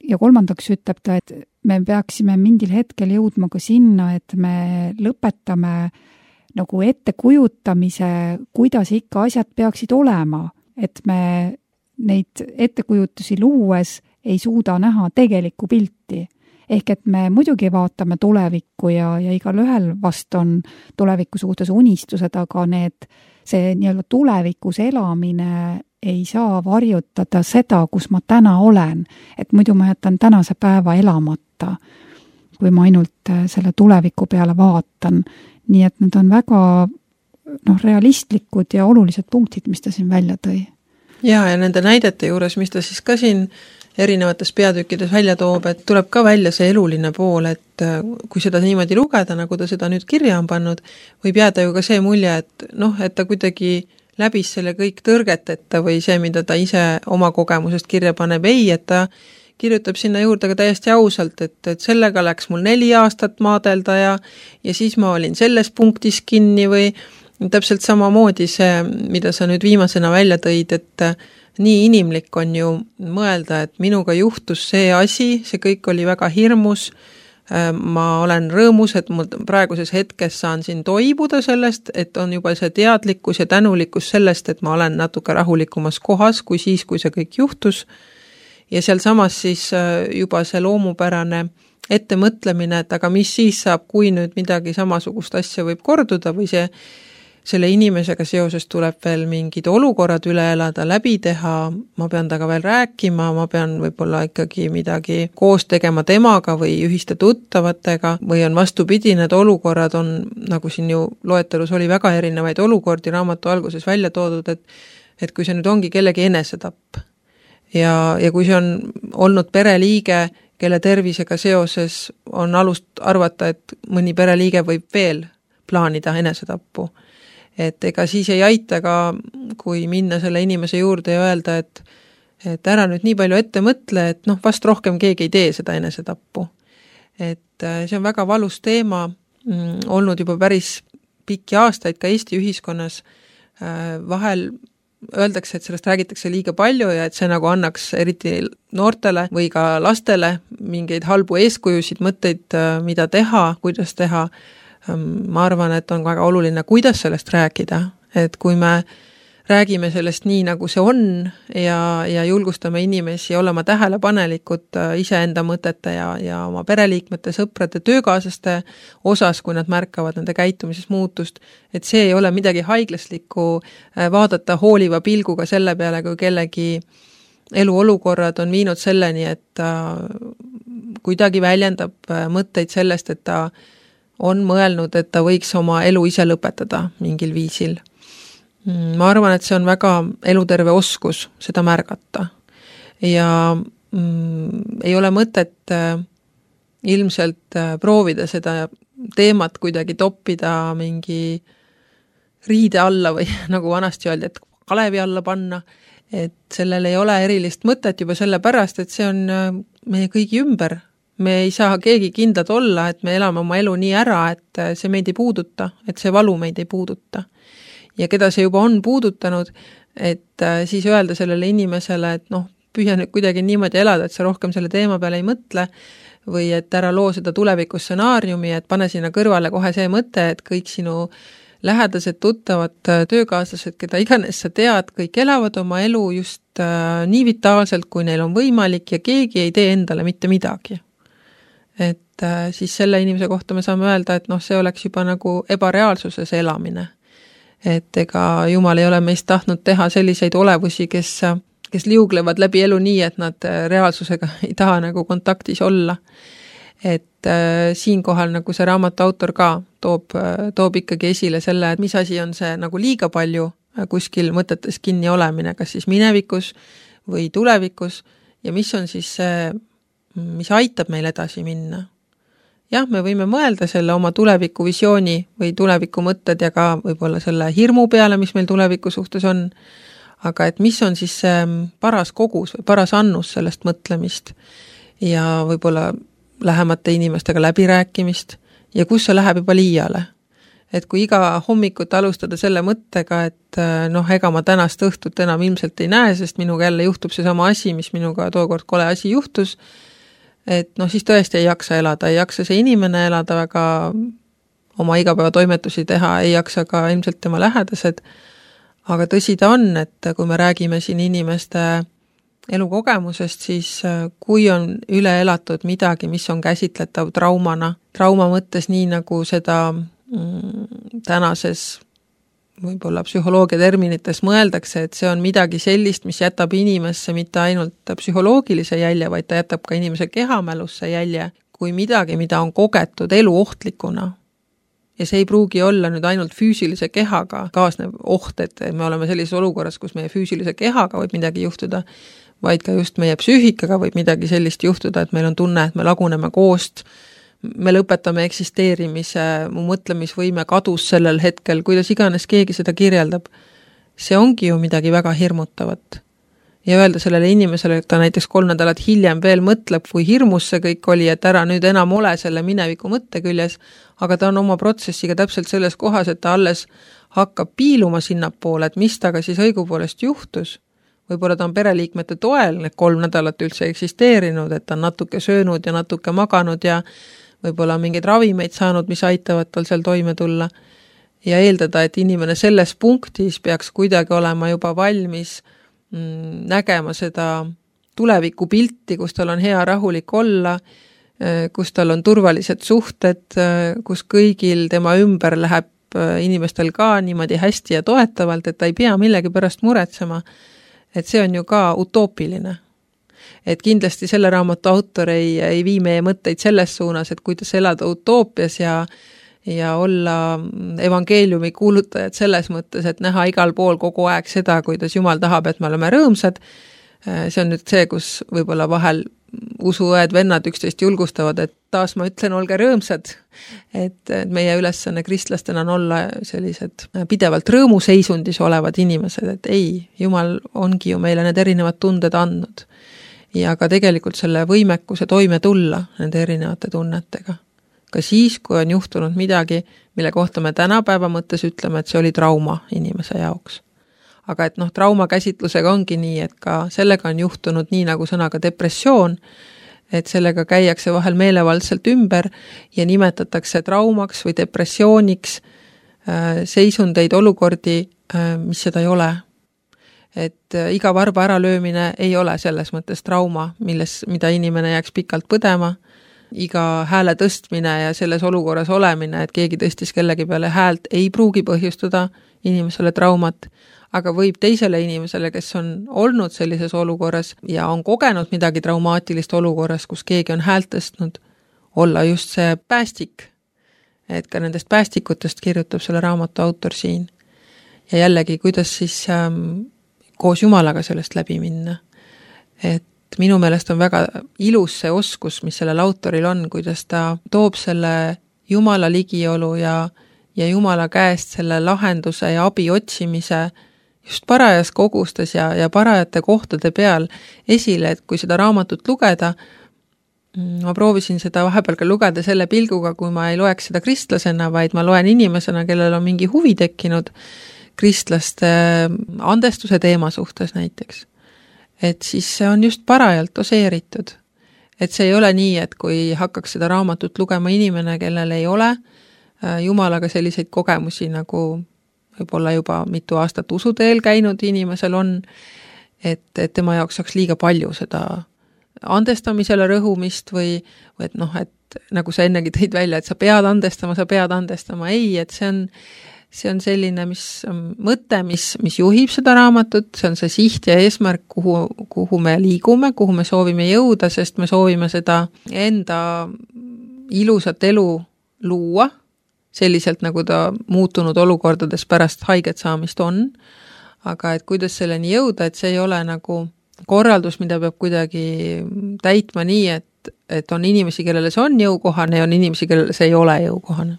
Ja kolmandaks ütleb ta, et me peaksime mingil hetkel jõudma ka sinna, et me lõpetame nagu ettekujutamise, kuidas ikka asjad peaksid olema, et me neid ettekujutusi luues ei suuda näha tegelikku pilti. Ehk et me muidugi vaatame tulevikku ja, ja igal ühel vast on tuleviku suhtes unistused, aga need, see nii-öelda tulevikus elamine ei saa varjutada seda, kus ma täna olen, et muidu ma jätan tänase päeva elamata, kui ma ainult selle tuleviku peale vaatan. Nii et need on väga noh, realistlikud ja olulised punktid, mis ta siin välja tõi. Ja, ja nende näidete juures, mis ta siis ka siin erinevates peatükkides välja toob, et tuleb ka välja see eluline pool, et kui seda niimoodi lugeda, nagu ta seda nüüd kirja on pannud, võib jääda ju ka see mulje, et noh, et ta kuidagi läbis selle kõik tõrgeteta või see, mida ta ise oma kogemusest kirja paneb, ei, et ta kirjutab sinna juurde ka täiesti ausalt, et, et sellega läks mul neli aastat maadelda ja, ja siis ma olin selles punktis kinni või täpselt samamoodi see, mida sa nüüd viimasena välja tõid, et nii inimlik on ju mõelda, et minuga juhtus see asi, see kõik oli väga hirmus, ma olen rõõmus, et ma praeguses hetkes saan siin toibuda sellest, et on juba see teadlikkus ja tänulikkus sellest, et ma olen natuke rahulikumas kohas kui siis, kui see kõik juhtus. Ja seal samas siis juba see loomupärane ettemõtlemine, et aga mis siis saab, kui nüüd midagi samasugust asja võib korduda või see selle inimesega seoses tuleb veel mingid olukorrad üle elada, läbi teha, ma pean taga veel rääkima, ma pean võib-olla ikkagi midagi koos tegema temaga või ühiste tuttavatega või on vastupidi, need olukorrad on, nagu siin ju loetelus oli väga erinevaid olukordi raamatu alguses välja toodud, et, et kui see nüüd ongi kellegi enesetapp ja, ja kui see on olnud pereliige, kelle tervisega seoses on alust arvata, et mõni pereliige võib veel plaanida enesetappu. Et ega siis ei aita ka, kui minna selle inimese juurde ja öelda, et, et ära nüüd nii palju ette mõtle, et noh, vast rohkem keegi ei tee seda enesetappu. Et see on väga valus teema, mm, olnud juba päris pikki aastaid ka Eesti ühiskonnas. Vahel öeldakse, et sellest räägitakse liiga palju ja et see nagu annaks eriti noortele või ka lastele mingeid halbu eeskujusid, mõtteid, mida teha, kuidas teha. Ma arvan, et on väga oluline, kuidas sellest rääkida, et kui me räägime sellest nii, nagu see on ja, ja julgustame inimesi olema tähelepanelikud iseenda mõtete ja, ja oma pereliikmete, sõprade, töökaaslaste osas, kui nad märkavad nende käitumises muutust, et see ei ole midagi haiglaslikku vaadata hooliva pilguga selle peale, kui kellegi eluolukorrad on viinud selleni, et ta kuidagi väljendab mõtteid sellest, et ta on mõelnud, et ta võiks oma elu ise lõpetada mingil viisil. Ma arvan, et see on väga eluterve oskus seda märgata. Ja mm, ei ole mõtet äh, ilmselt äh, proovida seda teemat kuidagi toppida mingi riide alla või nagu vanasti öeldi, et kalevi alla panna, et sellel ei ole erilist mõtet juba selle pärast, et see on äh, meie kõigi ümber. Me ei saa keegi kindlad olla, et me elame oma elu nii ära, et äh, see meid ei puuduta, et see valu meid ei puuduta. Ja keda see juba on puudutanud, et äh, siis öelda sellele inimesele, et noh, püüa nüüd kuidagi niimoodi elada, et sa rohkem selle teema peale ei mõtle või et ära loo seda tulevikus stsenaariumi, et pane sinna kõrvale kohe see mõte, et kõik sinu lähedased, tuttavad, töökaaslased, keda iganes sa tead, kõik elavad oma elu just äh, nii vitaalselt, kui neil on võimalik ja keegi ei tee endale mitte midagi. Et äh, siis selle inimese kohta me saame öelda, et noh, see oleks juba nagu ebareaalsuses elamine. Et ega Jumal ei ole meist tahtnud teha selliseid olevusi, kes, kes liuglevad läbi elu nii, et nad reaalsusega ei taha nagu kontaktis olla. Et äh, siinkohal nagu see raamatu autor ka toob, toob ikkagi esile selle, et mis asi on see nagu liiga palju kuskil mõtetes kinni olemine, kas siis minevikus või tulevikus ja mis on siis see, mis aitab meil edasi minna. Jah, me võime mõelda selle oma tuleviku visiooni või tuleviku mõtted ja ka võib-olla selle hirmu peale, mis meil tuleviku suhtes on, aga et mis on siis see paras kogus või paras annus sellest mõtlemist ja võib-olla lähemate inimestega läbirääkimist ja kus see läheb juba liiale. Et kui iga hommikut alustada selle mõttega, et noh, ega ma tänast õhtut enam ilmselt ei näe, sest minuga jälle juhtub see sama asi, mis minuga tookord kole asi juhtus, et noh, siis tõesti ei jaksa elada, ei jaksa see inimene elada väga oma igapäeva toimetusi teha, ei jaksa ka ilmselt tema lähedased, aga tõsi ta on, et kui me räägime siin inimeste elukogemusest, siis kui on üle elatud midagi, mis on käsitletav traumana, trauma mõttes nii nagu seda mm, tänases võib-olla psühholoogia terminites mõeldakse, et see on midagi sellist, mis jätab inimesse mitte ainult psühholoogilise jälje, vaid ta jätab ka inimese kehamälusse jälje, kui midagi, mida on kogetud eluohtlikuna. Ja see ei pruugi olla nüüd ainult füüsilise kehaga kaasnev oht, et me oleme sellises olukorras, kus meie füüsilise kehaga võib midagi juhtuda, vaid ka just meie psüühikaga võib midagi sellist juhtuda, et meil on tunne, et me laguneme koost, me lõpetame eksisteerimise, mu mõtlemisvõime kadus sellel hetkel, kuidas iganes keegi seda kirjeldab. See ongi ju midagi väga hirmutavat. Ja öelda sellele inimesele, et ta näiteks kolm nädalat hiljem veel mõtleb, kui hirmus see kõik oli, et ära nüüd enam ole selle mineviku mõtte küljes, aga ta on oma protsessiga täpselt selles kohas, et ta alles hakkab piiluma sinnapoole, et mis taga siis õigupoolest juhtus. Võib-olla ta on pereliikmete toel, need kolm nädalat üldse eksisteerinud, et ta on natuke söönud ja natuke maganud ja võib-olla mingeid ravimeid saanud, mis aitavad tal seal toime tulla ja eeldada, et inimene selles punktis peaks kuidagi olema juba valmis mm, nägema seda tulevikupilti, kus tal on hea rahulik olla, kus tal on turvalised suhted, kus kõigil tema ümber läheb inimestel ka niimoodi hästi ja toetavalt, et ta ei pea millegi pärast muretsema, et see on ju ka utoopiline. Et kindlasti selle raamatu autor ei, ei vii meie mõtteid selles suunas, et kuidas elada utoopias ja, ja olla evangeeliumi kuulutajad selles mõttes, et näha igal pool kogu aeg seda, kuidas Jumal tahab, et me oleme rõõmsad. See on nüüd see, kus võib-olla vahel usuõed vennad üksteist julgustavad, et taas ma ütlen, olge rõõmsad, et meie ülesanne kristlastena on olla sellised pidevalt rõõmuseisundis olevad inimesed, et ei, Jumal ongi ju meile need erinevad tunded andnud. Ja ka tegelikult selle võimekuse toime tulla nende erinevate tunnetega. Ka siis, kui on juhtunud midagi, mille kohta me tänapäeva mõttes ütleme, et see oli trauma inimese jaoks. Aga et noh, trauma käsitlusega ongi nii, et ka sellega on juhtunud nii nagu sõnaga depressioon, et sellega käiakse vahel meelevaldselt ümber ja nimetatakse traumaks või depressiooniks seisundeid, olukordi, mis seda ei ole. Et iga varba äralöömine ei ole selles mõttes trauma, milles, mida inimene jääks pikalt põdema. Iga hääle tõstmine ja selles olukorras olemine, et keegi tõstis kellegi peale häält, ei pruugi põhjustada inimesele traumat, aga võib teisele inimesele, kes on olnud sellises olukorras ja on kogenud midagi traumaatilist olukorras, kus keegi on häält tõstnud, olla just see päästik. Et ka nendest päästikutest kirjutab selle raamatu autor siin. Ja jällegi, kuidas siis ähm, koos Jumalaga sellest läbi minna. Et minu meelest on väga ilus see oskus, mis sellel autoril on, kuidas ta toob selle Jumala ligiolu ja, ja Jumala käest selle lahenduse ja abi otsimise just parajas kogustes ja, ja parajate kohtade peal esile, et kui seda raamatut lugeda, ma proovisin seda vahepeal ka lugeda selle pilguga, kui ma ei loeks seda kristlasena, vaid ma loen inimesena, kellel on mingi huvi tekkinud kristlaste andestuse teema suhtes näiteks. Et siis see on just parajalt doseeritud. Et see ei ole nii, et kui hakkaks seda raamatut lugema inimene, kellel ei ole Jumalaga selliseid kogemusi, nagu võib-olla juba mitu aastat usuteel käinud inimesel on, et, et tema jaoks saaks liiga palju seda andestamisele rõhumist või, või et noh, et nagu sa ennegi tõid välja, et sa pead andestama, sa pead andestama. Ei, et see on, see on selline mis, mõte, mis, mis juhib seda raamatut, see on see siht ja eesmärk, kuhu, kuhu me liigume, kuhu me soovime jõuda, sest me soovime seda enda ilusat elu luua, selliselt nagu ta muutunud olukordades pärast haiget saamist on, aga et kuidas selleni jõuda, et see ei ole nagu korraldus, mida peab kuidagi täitma nii, et, et on inimesi, kellele see on jõukohane ja on inimesi, kellele see ei ole jõukohane.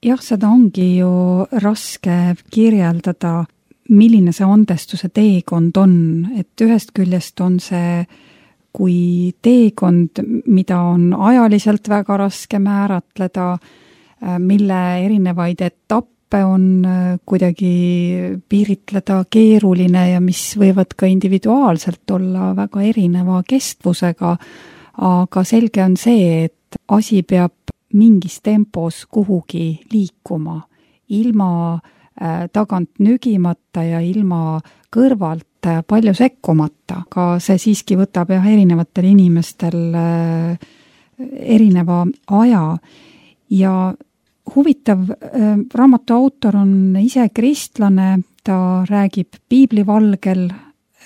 Jah, seda ongi ju raske kirjeldada, milline see andestuse teekond on, et ühest küljest on see kui teekond, mida on ajaliselt väga raske määratleda, mille erinevaid etappe on kuidagi piiritleda keeruline ja mis võivad ka individuaalselt olla väga erineva kestvusega, aga selge on see, et asi peab mingis tempos kuhugi liikuma, ilma tagant nügimata ja ilma kõrvalt palju sekkumata, aga see siiski võtab jah erinevatel inimestel erineva aja ja huvitav, raamatu autor on ise kristlane, ta räägib piiblivalgel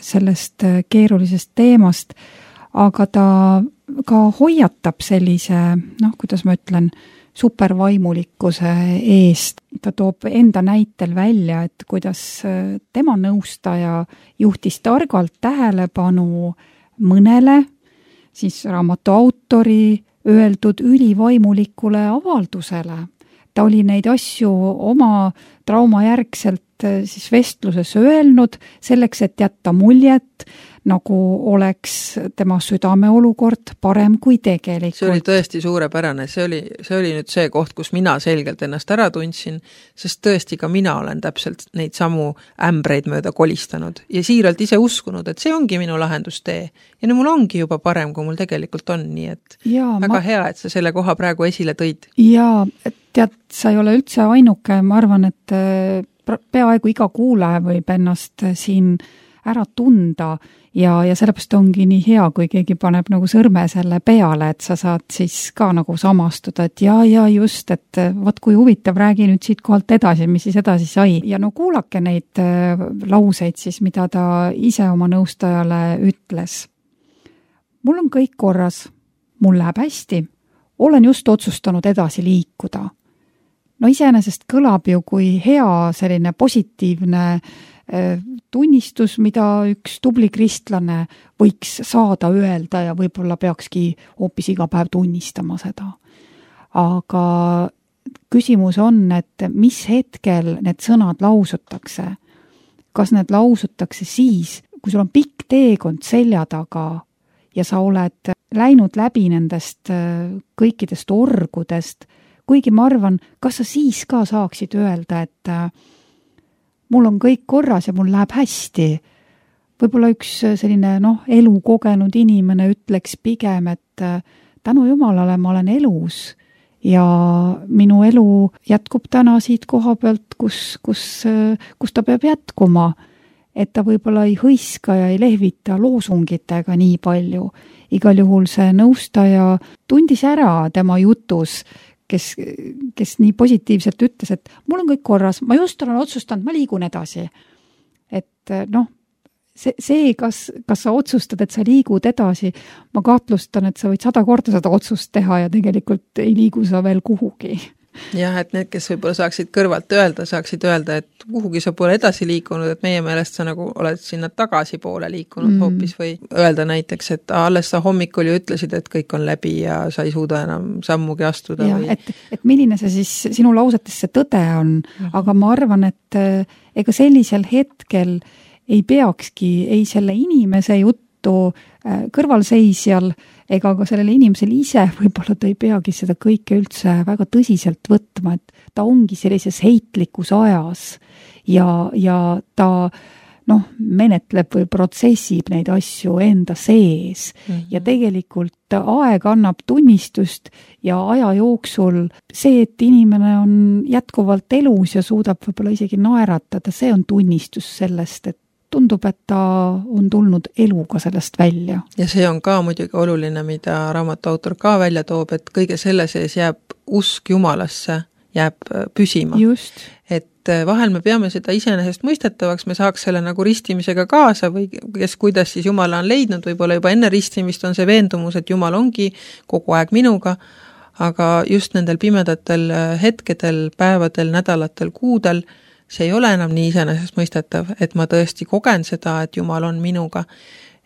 sellest keerulisest teemast, aga ta ka hoiatab sellise, noh, kuidas ma ütlen, supervaimulikkuse eest. Ta toob enda näitel välja, et kuidas tema nõustaja juhtis targalt tähelepanu mõnele, siis raamatu autori öeldud ülivaimulikule avaldusele. Ta oli neid asju oma traumajärgselt siis vestluses öelnud selleks, et jätta muljet, nagu oleks tema südameolukord parem kui tegelikult. See oli tõesti suurepärane, see oli, see oli nüüd see koht, kus mina selgelt ennast ära tundsin, sest tõesti ka mina olen täpselt neid samu ämbreid mööda kolistanud ja siiralt ise uskunud, et see ongi minu lahendustee ja nüüd mul ongi juba parem, kui mul tegelikult on, nii et ja, väga ma... hea, et sa selle koha praegu esile tõid. Jaa, tead, sa ei ole üldse ainuke, ma arvan, et peaaegu iga kuulaja võib ennast siin ära tunda ja, ja sellepärast ongi nii hea, kui keegi paneb nagu sõrme selle peale, et sa saad siis ka nagu samastuda, et ja, ja just, et võt kui huvitav, räägi nüüd siit kohalt edasi, mis siis edasi sai. Ja no kuulake neid lauseid siis, mida ta ise oma nõustajale ütles. Mul on kõik korras, mul läheb hästi, olen just otsustanud edasi liikuda. No iseenesest kõlab ju kui hea selline positiivne tunnistus, mida üks tubli kristlane võiks saada öelda ja võib-olla peakski hoopis iga päev tunnistama seda. Aga küsimus on, et mis hetkel need sõnad lausutakse? Kas need lausutakse siis, kui sul on pikk teekond selja taga ja sa oled läinud läbi nendest kõikidest orgudest, kuigi ma arvan, kas sa siis ka saaksid öelda, et mul on kõik korras ja mul läheb hästi. Võib-olla üks selline noh, elu kogenud inimene ütleks pigem, et tänu Jumalale ma olen elus ja minu elu jätkub täna siit koha pealt, kus, kus, kus ta peab jätkuma. Et ta võib-olla ei hõiska ja ei lehvita loosungitega nii palju. Igal juhul see nõustaja tundis ära tema jutus, kes, kes nii positiivselt ütles, et mul on kõik korras, ma just olen otsustanud, ma liigun edasi. Et noh, see, see kas, kas sa otsustad, et sa liigud edasi, ma kahtlustan, et sa võid sada korda seda otsust teha ja tegelikult ei liigu sa veel kuhugi. Jah, et need, kes võib-olla saaksid kõrvalt öelda, saaksid öelda, et kuhugi sa pole edasi liikunud, et meie meelest sa nagu oled sinna tagasi poole liikunud mm. hoopis või öelda näiteks, et alles sa hommikul ju ütlesid, et kõik on läbi ja sa ei suuda enam sammugi astuda. Ja, või... et, et milline see siis sinu lausetes see tõde on, mm. aga ma arvan, et ega sellisel hetkel ei peakski ei selle inimese juttu kõrvalseisjal ega ka sellele inimesele ise, võib-olla ta ei peagi seda kõike üldse väga tõsiselt võtma, et ta ongi sellises heitlikus ajas ja, ja ta noh, menetleb või protsessib neid asju enda sees mm-hmm. ja tegelikult aeg annab tunnistust ja aja jooksul see, et inimene on jätkuvalt elus ja suudab võib-olla isegi naeratada, see on tunnistus sellest, et tundub, et ta on tulnud eluga sellest välja. Ja see on ka muidugi oluline, mida raamatu autor ka välja toob, et kõige selle sees jääb usk Jumalasse, jääb püsima. Just. Et vahel me peame seda iseenesest mõistetavaks, me saaks selle nagu ristimisega kaasa või kes kuidas siis Jumala on leidnud, võib-olla juba enne ristimist on see veendumus, et Jumal ongi kogu aeg minuga, aga just nendel pimedatel hetkedel, päevadel, nädalatel, kuudel see ei ole enam nii iseenesest mõistetav, et ma tõesti kogen seda, et Jumal on minuga.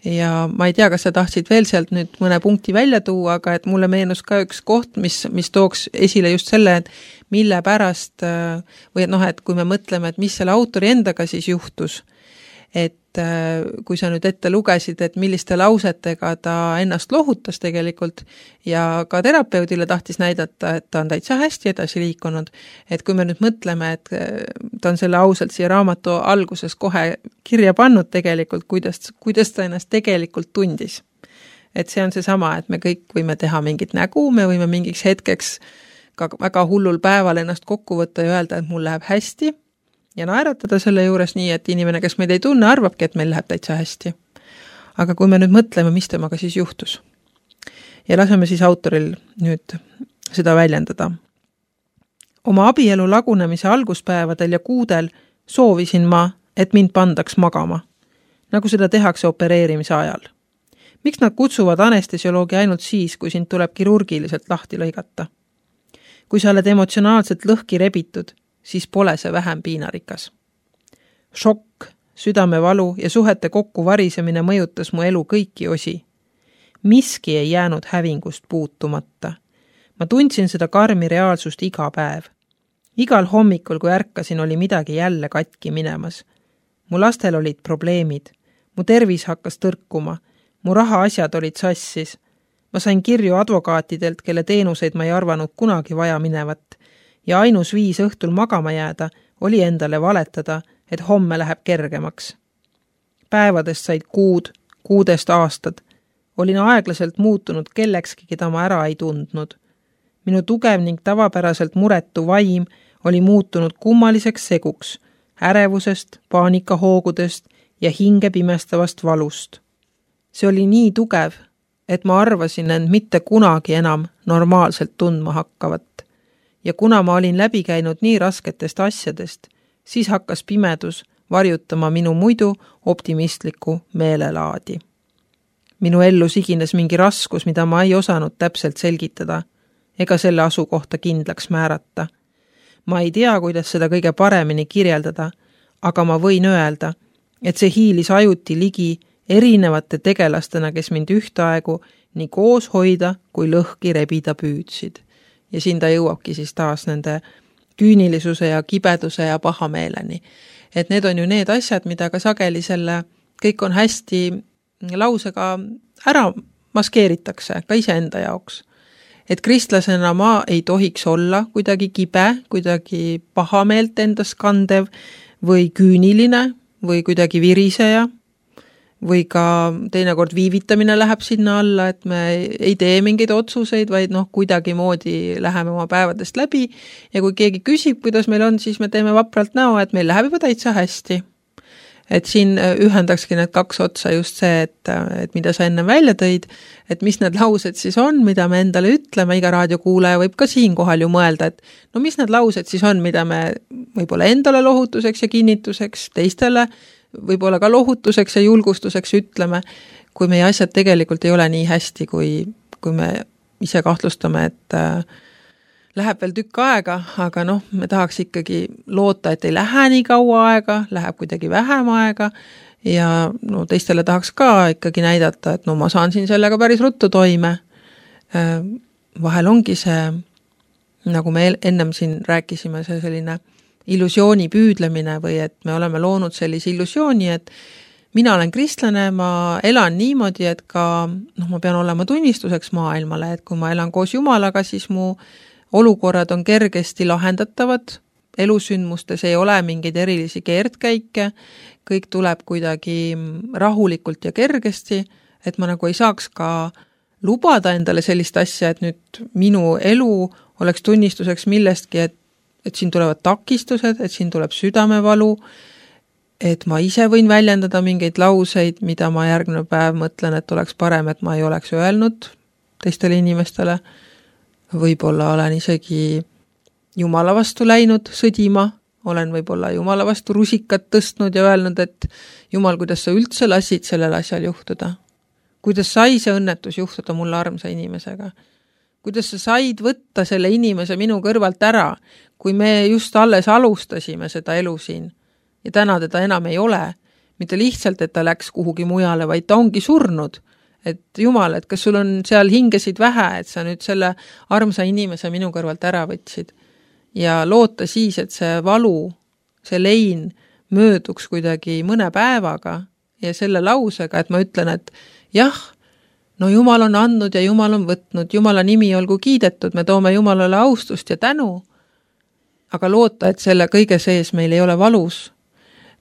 Ja ma ei tea, kas sa tahtsid veel sealt nüüd mõne punkti välja tuua, aga et mulle meenus ka üks koht, mis, mis tooks esile just selle, et mille pärast, või et noh, et kui me mõtleme, et mis selle autori endaga siis juhtus, et kui sa nüüd ette lugesid, et milliste lausetega ta ennast lohutas tegelikult ja ka terapeudile tahtis näidata, et ta on täitsa hästi edasi liikunud, et kui me nüüd mõtleme, et ta on selle ausalt siia raamatu alguses kohe kirja pannud tegelikult, kuidas, kuidas ta ennast tegelikult tundis. Et see on see sama, et me kõik võime teha mingit nägu, me võime mingiks hetkeks ka väga hullul päeval ennast kokku võtta ja öelda, et mul läheb hästi, ja naeratada selle juures nii, et inimene, kes meid ei tunne, arvabki, et meil läheb täitsa hästi. Aga kui me nüüd mõtleme, mis temaga siis juhtus ja laseme siis autoril nüüd seda väljendada. Oma abielu lagunemise alguspäevadel ja kuudel soovisin ma, et mind pandaks magama, nagu seda tehakse opereerimise ajal. Miks nad kutsuvad anestesioloogi ainult siis, kui sind tuleb kirurgiliselt lahti lõigata? Kui sa oled emotsionaalselt lõhki rebitud, siis pole see vähem piinarikas. Šokk, südamevalu ja suhete kokku varisemine mõjutas mu elu kõiki osi. Miski ei jäänud hävingust puutumata. Ma tundsin seda karmi reaalsust iga päev. Igal hommikul, kui ärkasin, oli midagi jälle katki minemas. Mu lastel olid probleemid. Mu tervis hakkas tõrkuma. Mu rahaasjad olid sassis. Ma sain kirju advokaatidelt, kelle teenuseid ma ei arvanud kunagi vaja minevat. Ja ainus viis õhtul magama jääda oli endale valetada, et homme läheb kergemaks. Päevadest said kuud, kuudest aastad. Olin aeglaselt muutunud kellekski, keda ma ära ei tundnud. Minu tugev ning tavapäraselt muretu vaim oli muutunud kummaliseks seguks, ärevusest, paanikahoogudest ja hinge pimestavast valust. See oli nii tugev, et ma arvasin end mitte kunagi enam normaalselt tundma hakkavat. Ja kuna ma olin läbi käinud nii rasketest asjadest, siis hakkas pimedus varjutama minu muidu optimistliku meelelaadi. Minu ellu sigines mingi raskus, mida ma ei osanud täpselt selgitada, ega selle asukohta kindlaks määrata. Ma ei tea, kuidas seda kõige paremini kirjeldada, aga ma võin öelda, et see hiilis ajuti ligi erinevate tegelastena, kes mind ühtaegu nii koos hoida kui lõhki rebida püüdsid. Ja siin ta jõuabki siis taas nende küünilisuse ja kibeduse ja pahameeleni. Et need on ju need asjad, mida ka sageli selle kõik on hästi lausega ära maskeeritakse ka iseenda jaoks. Et kristlasena ma ei tohiks olla kuidagi kibe, kuidagi pahameelt endas kandev või küüniline või kuidagi viriseja või ka teinekord viivitamine läheb sinna alla, et me ei tee mingeid otsuseid, vaid noh, kuidagi moodi läheme oma päevadest läbi ja kui keegi küsib, kuidas meil on, siis me teeme vapralt näo, et meil läheb juba täitsa hästi. et siin ühendakski need kaks otsa just see, et, et mida sa enne välja tõid, et mis need laused siis on, mida me endale ütleme, iga raadiokuulaja võib ka siin kohal ju mõelda, et no mis need laused siis on, mida me võib-olla endale lohutuseks ja kinnituseks, teistele võib-olla ka lohutuseks ja julgustuseks ütleme, kui meie asjad tegelikult ei ole nii hästi, kui, kui me ise kahtlustame, et äh, läheb veel tükk aega, aga noh, me tahaks ikkagi loota, et ei lähe nii kaua aega, läheb kuidagi vähem aega ja no teistele tahaks ka ikkagi näidata, et no ma saan siin sellega päris ruttu toime. Vahel ongi see, nagu me ennem siin rääkisime, see selline illusiooni püüdlemine või et me oleme loonud sellise illusiooni, et mina olen kristlane, ma elan niimoodi, et ka noh, ma pean olema tunnistuseks maailmale, et kui ma elan koos Jumalaga, siis mu olukorrad on kergesti lahendatavad, elusündmustes ei ole mingeid erilisi keerdkäike, kõik tuleb kuidagi rahulikult ja kergesti, et ma nagu ei saaks ka lubada endale sellist asja, et nüüd minu elu oleks tunnistuseks millestki, et, et siin tulevad takistused, et siin tuleb südamevalu, et ma ise võin väljendada mingeid lauseid, mida ma järgmine päev mõtlen, et oleks parem, et ma ei oleks öelnud teistele inimestele. Võib-olla olen isegi Jumala vastu läinud sõdima, olen võib-olla Jumala vastu rusikat tõstnud ja öelnud, et Jumal, kuidas sa üldse lasid sellel asjal juhtuda? Kuidas sai see õnnetus juhtuda mulle armsa inimesega? Kuidas sa said võtta selle inimese minu kõrvalt ära, kui me just alles alustasime seda elu siin ja täna teda enam ei ole? Mitte lihtsalt, et ta läks kuhugi mujale, vaid ta ongi surnud. Et Jumal, et kas sul on seal hingesid vähe, et sa nüüd selle armsa inimese minu kõrvalt ära võtsid. Ja loota siis, et see valu, see lein mööduks kuidagi mõne päevaga ja selle lausega, et ma ütlen, et jah, no Jumal on andnud ja Jumal on võtnud, Jumala nimi olgu kiidetud, me toome Jumalale austust ja tänu, aga loota, et selle kõige sees meil ei ole valus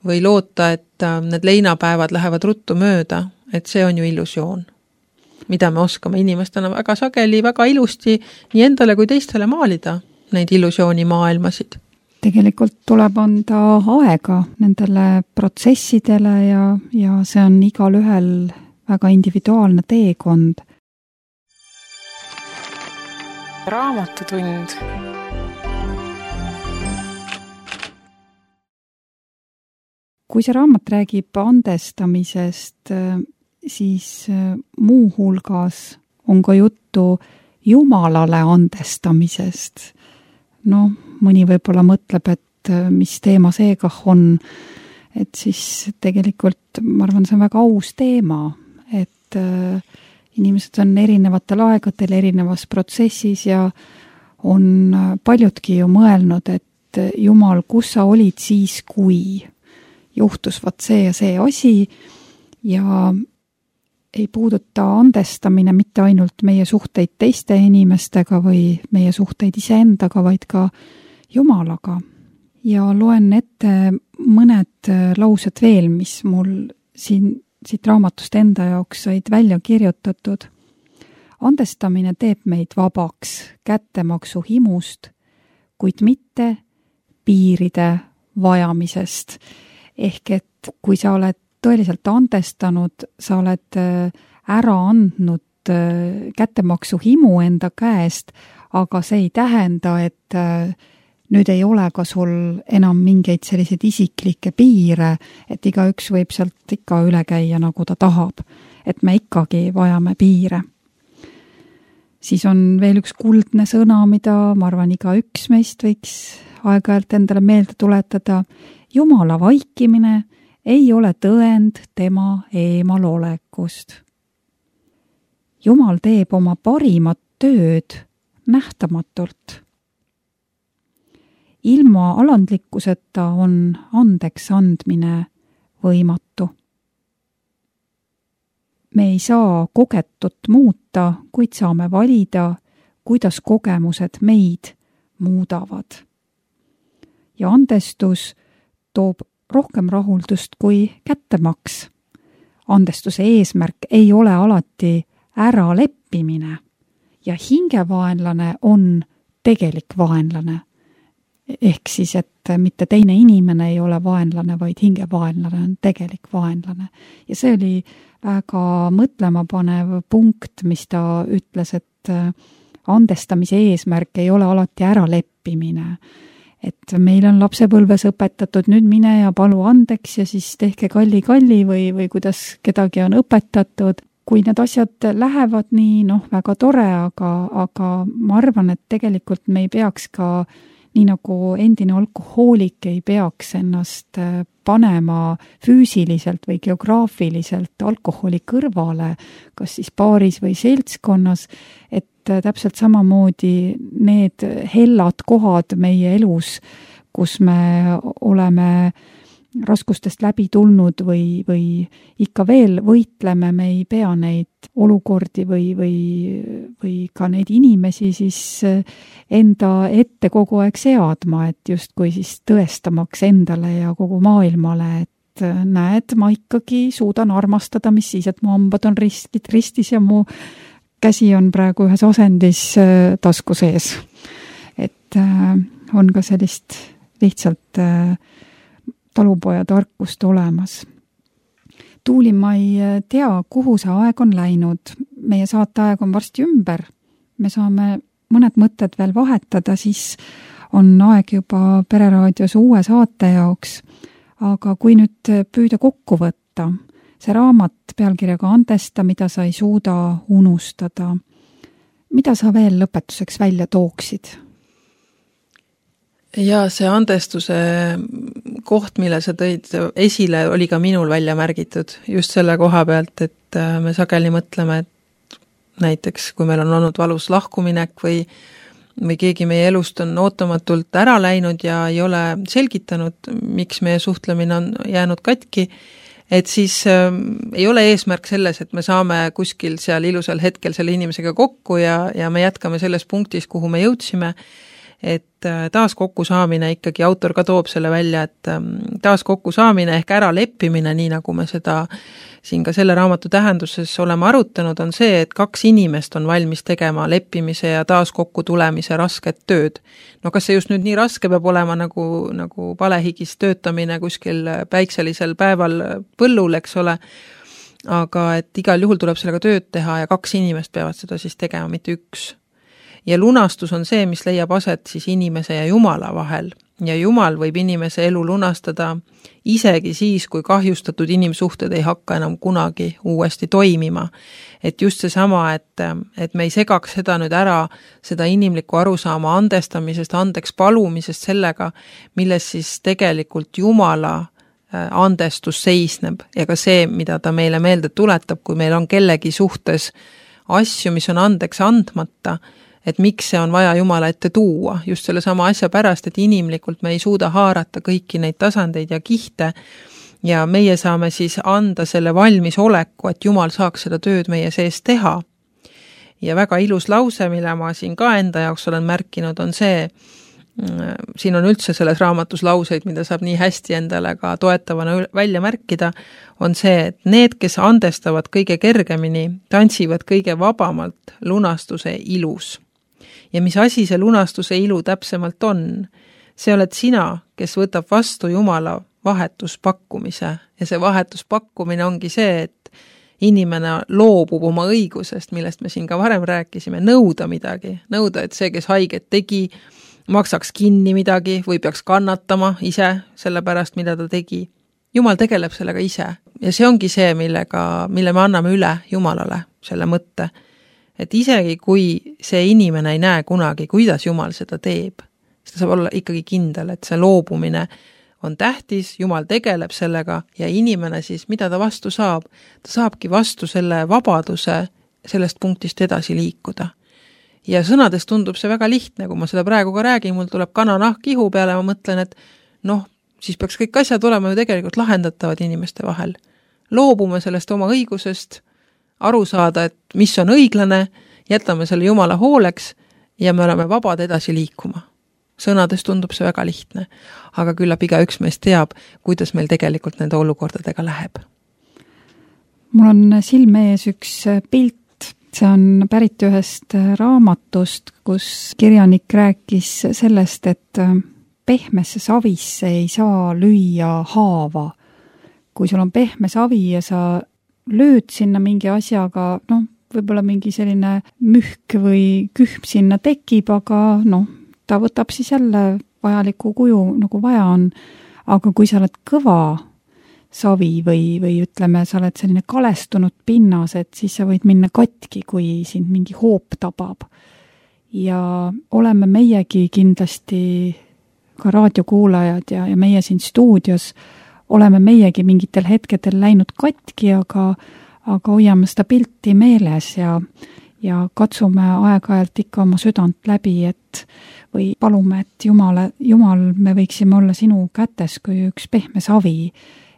või loota, et need leinapäevad lähevad ruttu mööda, et see on ju illusioon, mida me oskame inimestena väga sageli, väga ilusti nii endale kui teistele maalida, neid illusiooni maailmasid. Tegelikult tuleb anda aega nendele protsessidele ja, ja see on igal ühel väga individuaalne teekond. Raamatutund. Kui see raamat räägib andestamisest, siis muu hulgas on ka juttu Jumalale andestamisest. No, mõni võib-olla mõtleb, et mis teema see kah on, et siis tegelikult, ma arvan, see on väga aus teema, et inimesed on erinevatel aegadel erinevas protsessis ja on paljudki ju mõelnud, et Jumal, kus sa olid siis, kui juhtus vat see ja see asi ja ei puuduta andestamine mitte ainult meie suhteid teiste inimestega või meie suhteid iseendaga, vaid ka Jumalaga. Ja loen ette mõned laused veel, mis mul siin, siit raamatust enda jaoks said välja kirjutatud. Andestamine teeb meid vabaks kättemaksu himust, kuid mitte piiride vajamisest. Ehk et kui sa oled tõeliselt andestanud, sa oled ära andnud kättemaksu himu enda käest, aga see ei tähenda, et nüüd ei ole ka sul enam mingeid selliseid isiklikke piire, et igaüks võib sealt ikka üle käia, nagu ta tahab. Et me ikkagi vajame piire. Siis on veel üks kuldne sõna, mida ma arvan iga üks meist võiks aeg-ajalt endale meelde tuletada. Jumala vaikimine ei ole tõend tema eemalolekust. Jumal teeb oma parimat tööd nähtamatult. Ilma alandlikkuseta on andeks andmine võimatu. Me ei saa kogetut muuta, kuid saame valida, kuidas kogemused meid muudavad. Ja andestus toob rohkem rahuldust kui kättemaks. Andestuse eesmärk ei ole alati ära leppimine ja hingevaenlane on tegelik vaenlane. ehk siis, et mitte teine inimene ei ole vaenlane, vaid hingevaenlane on tegelik vaenlane. Ja see oli väga mõtlemapanev punkt, mis ta ütles, et andestamise eesmärk ei ole alati äraleppimine. Et meil on lapsepõlves õpetatud, nüüd mine ja palu andeks ja siis tehke kalli-kalli või, või kuidas kedagi on õpetatud. Kui need asjad lähevad nii, noh, väga tore, aga, aga ma arvan, et tegelikult me ei peaks ka nii nagu endine alkohoolik ei peaks ennast panema füüsiliselt või geograafiliselt alkoholi kõrvale, kas siis baaris või seltskonnas, et täpselt samamoodi need hellad kohad meie elus, kus me oleme raskustest läbi tulnud või, või ikka veel võitleme, me ei pea neid olukordi või, või, või ka neid inimesi siis enda ette kogu aeg seadma, et justkui siis tõestamaks endale ja kogu maailmale, et näed, ma ikkagi suudan armastada, mis siis, et mu hambad on ristid ristis ja mu käsi on praegu ühes asendis tasku sees. Et on ka sellist lihtsalt talupoja tarkust olemas. Tuuli, ma ei tea, kuhu see aeg on läinud. Meie saateaeg on varsti ümber. Me saame mõned mõtted veel vahetada, siis on aeg juba Pereraadios uue saate jaoks. Aga kui nüüd püüda kokku võtta, see raamat pealkirjaga Andesta, mida sa ei suuda unustada, mida sa veel lõpetuseks välja tooksid? Ja see andestuse koht, mille sa tõid esile, oli ka minul välja märgitud just selle koha pealt, et me sageli mõtleme, et näiteks kui meil on olnud valus lahkuminek või, või keegi meie elust on ootamatult ära läinud ja ei ole selgitanud, miks meie suhtlemine on jäänud katki, et siis äh, ei ole eesmärk selles, et me saame kuskil seal ilusal hetkel selle inimesega kokku ja, ja me jätkame selles punktis, kuhu me jõudsime, et taas kokku saamine, ikkagi autor ka toob selle välja, et taas kokku saamine ehk ära leppimine, nii nagu me seda siin ka selle raamatu tähenduses oleme arutanud, on see, et kaks inimest on valmis tegema leppimise ja taas kokku tulemise rasket tööd. No kas see just nüüd nii raske peab olema nagu, nagu palehigis töötamine kuskil päikselisel päeval põllul, eks ole, aga et igal juhul tuleb sellega tööd teha ja kaks inimest peavad seda siis tegema, mitte üks. Ja lunastus on see, mis leiab aset siis inimese ja Jumala vahel. Ja Jumal võib inimese elu lunastada isegi siis, kui kahjustatud inimsuhted ei hakka enam kunagi uuesti toimima. Et just see sama, et, et me ei segaks seda nüüd ära, seda inimlikku arusaama andestamisest, andeks palumisest sellega, milles siis tegelikult Jumala andestus seisneb ja ka see, mida ta meile meelde tuletab, kui meil on kellegi suhtes asju, mis on andeks andmata, et miks see on vaja Jumala ette tuua, just selle sama asja pärast, et inimlikult me ei suuda haarata kõiki neid tasandeid ja kihte ja meie saame siis anda selle valmis oleku, et Jumal saaks seda tööd meie sees teha. Ja väga ilus lause, mille ma siin ka enda jaoks olen märkinud, on see, siin on üldse selles raamatus lauseid, mida saab nii hästi endale ka toetavana välja märkida, on see, et need, kes andestavad kõige kergemini, tantsivad kõige vabamalt lunastuse ilus. Ja mis asi see lunastuse ilu täpsemalt on? See oled sina, kes võtab vastu Jumala vahetuspakkumise ja see vahetuspakkumine ongi see, et inimene loobub oma õigusest, millest me siin ka varem rääkisime, nõuda midagi, nõuda, et see, kes haiget tegi, maksaks kinni midagi või peaks kannatama ise selle pärast, mida ta tegi. Jumal tegeleb sellega ise ja see ongi see, millega, mille me anname üle Jumalale, selle mõtte. Et isegi kui see inimene ei näe kunagi, kuidas Jumal seda teeb, siis ta saab olla ikkagi kindel, et see loobumine on tähtis, Jumal tegeleb sellega ja inimene siis, mida ta vastu saab, ta saabki vastu selle vabaduse sellest punktist edasi liikuda. Ja sõnades tundub see väga lihtne, kui ma seda praegu ka räägin, mul tuleb kananahk ihu peale, ma mõtlen, et noh, siis peaks kõik asjad olema ju tegelikult lahendatavad inimeste vahel. Loobume sellest oma õigusest, aru saada, et mis on õiglane, jätame selle Jumala hooleks ja me oleme vabad edasi liikuma. Sõnades tundub see väga lihtne, aga küllap iga üks meist teab, kuidas meil tegelikult nende olukordadega läheb. Mul on silme ees üks pilt, see on pärit ühest raamatust, kus kirjanik rääkis sellest, et pehmesse savisse ei saa lüüa haava. Kui sul on pehme savi ja sa lööd sinna mingi asjaga, noh, võib-olla mingi selline mühk või kühm sinna tekib, aga noh, ta võtab siis jälle vajaliku kuju, nagu vaja on. Aga kui sa oled kõva savi või, või ütleme, sa oled selline kalestunud pinnas, et siis sa võid minna katki, kui sind mingi hoop tabab. Ja oleme meiegi kindlasti ka raadiokuulajad ja, ja meie siin stuudios oleme meiegi mingitel hetkedel läinud katki, aga, aga hoiame seda pilti meeles ja, ja katsume aeg-ajalt ikka oma südant läbi, et või palume, et Jumale, Jumal, me võiksime olla sinu kätes kui üks pehme savi,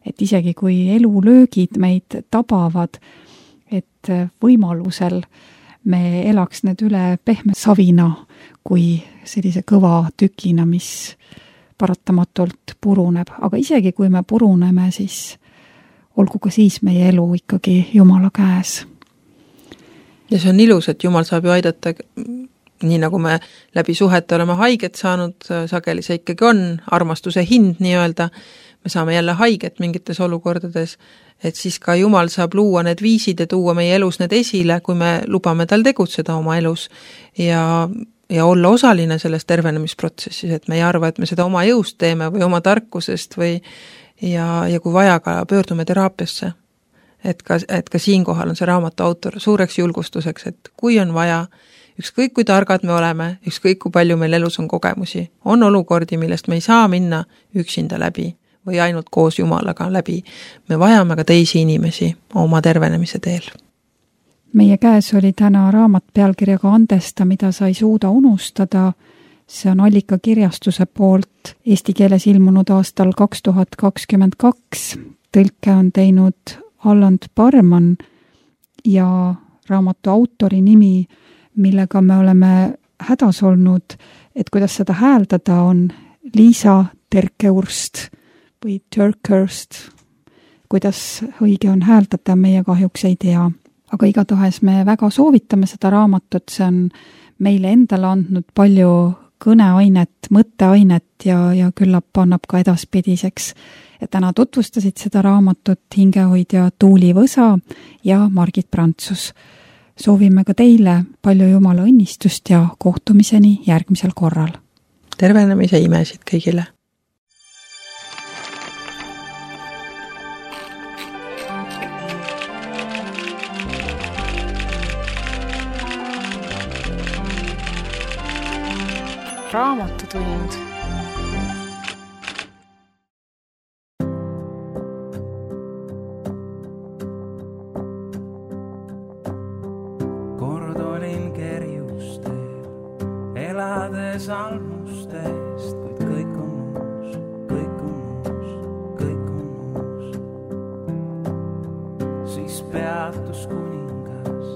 et isegi kui elulöögid meid tabavad, et võimalusel me elaks need üle pehme savina kui sellise kõva tükina, mis paratamatult puruneb. Aga isegi kui me puruneme, siis olgu ka siis meie elu ikkagi Jumala käes. Ja see on ilus, et Jumal saab ju aidata, nii nagu me läbi suhete oleme haiget saanud, sageli see ikkagi on armastuse hind nii-öelda, me saame jälle haiget mingites olukordades, et siis ka Jumal saab luua need viisid ja tuua meie elus need esile, kui me lubame tal tegutseda oma elus ja ja olla osaline selles tervenemisprotsessis, et me ei arva, et me seda oma jõust teeme või oma tarkusest või ja, ja kui vaja ka pöördume teraapiasse. Et ka, et ka siin kohal on see raamatu autor suureks julgustuseks, et kui on vaja, ükskõik kui targad me oleme, ükskõik kui palju meil elus on kogemusi, on olukordi, millest me ei saa minna üksinda läbi või ainult koos Jumalaga läbi. Me vajame ka teisi inimesi oma tervenemise teel. Meie käes oli täna raamat pealkirjaga Andesta, mida sa ei suuda unustada. See on Allika kirjastuse poolt eesti keeles ilmunud aastal kaks tuhat kakskümmend kaks. Tõlke on teinud Alland Parman ja raamatu autori nimi, millega me oleme hädas olnud, et kuidas seda hääldada, on Liisa Terkeurst või Terkeurst. Kuidas õige on hääldada, meie kahjuks ei tea. Aga igatahes me väga soovitame seda raamatut, see on meile endale andnud palju kõneainet, mõtteainet ja, ja küllap annab ka edaspidiseks. Ja täna tutvustasid seda raamatut hingehoidja Tuuli Võsa ja Margit Prantsus. Soovime ka teile palju Jumala õnnistust ja kohtumiseni järgmisel korral. Tervenemise imesid kõigile! Raamatutund. Kord olin kerjustel, elades almustest, kuid kõik on uus, kõik on uus, kõik on uus. Siis peatus kuningas,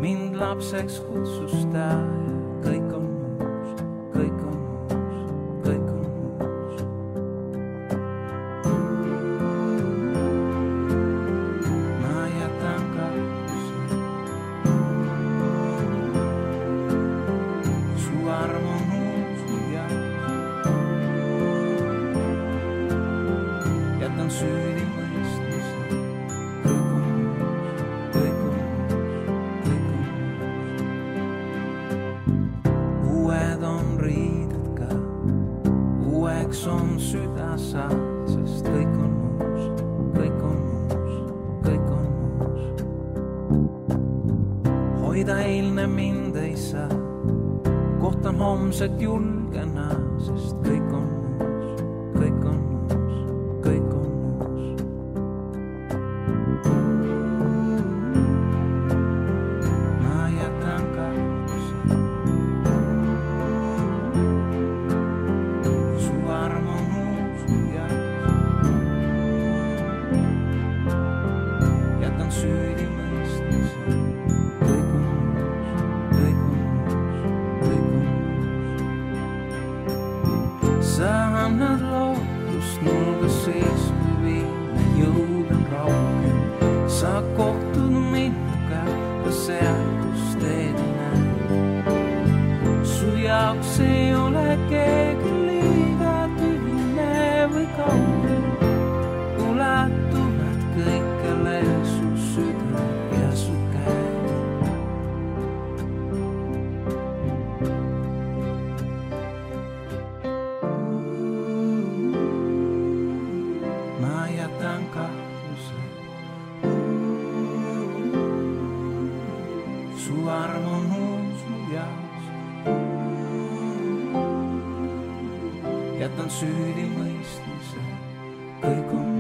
mind lapseks kutsus ta ja kõik on kõik on uus, kõik on uus. Ma jätan kahtuse, su arm on uus ja jätan süüdi mõistuse, kõik on uus, kõik on uus, kõik on uus. Uued on riided ka, uueks on süda saad, sest kõik on uus, kõik on uus, kõik on uus. Hoida eilne mind ei saa, kohtan homset julgena, sest kõik on uus, kõik on uus, kõik on uus. Ma jätan kahtuse, su arm on uus ja jätan süüdi mõistuse, kõik on uus, kõik on uus, kõik on uus. Sa annad lootust mulga sees, kui viime jõud on raugel. Sa kohtud minuga ka seal, kus teed näed. Su jaoks ei ole keegi liiga su arm on uus mu jaoks. Jätan süüdi mõistmise, kõik on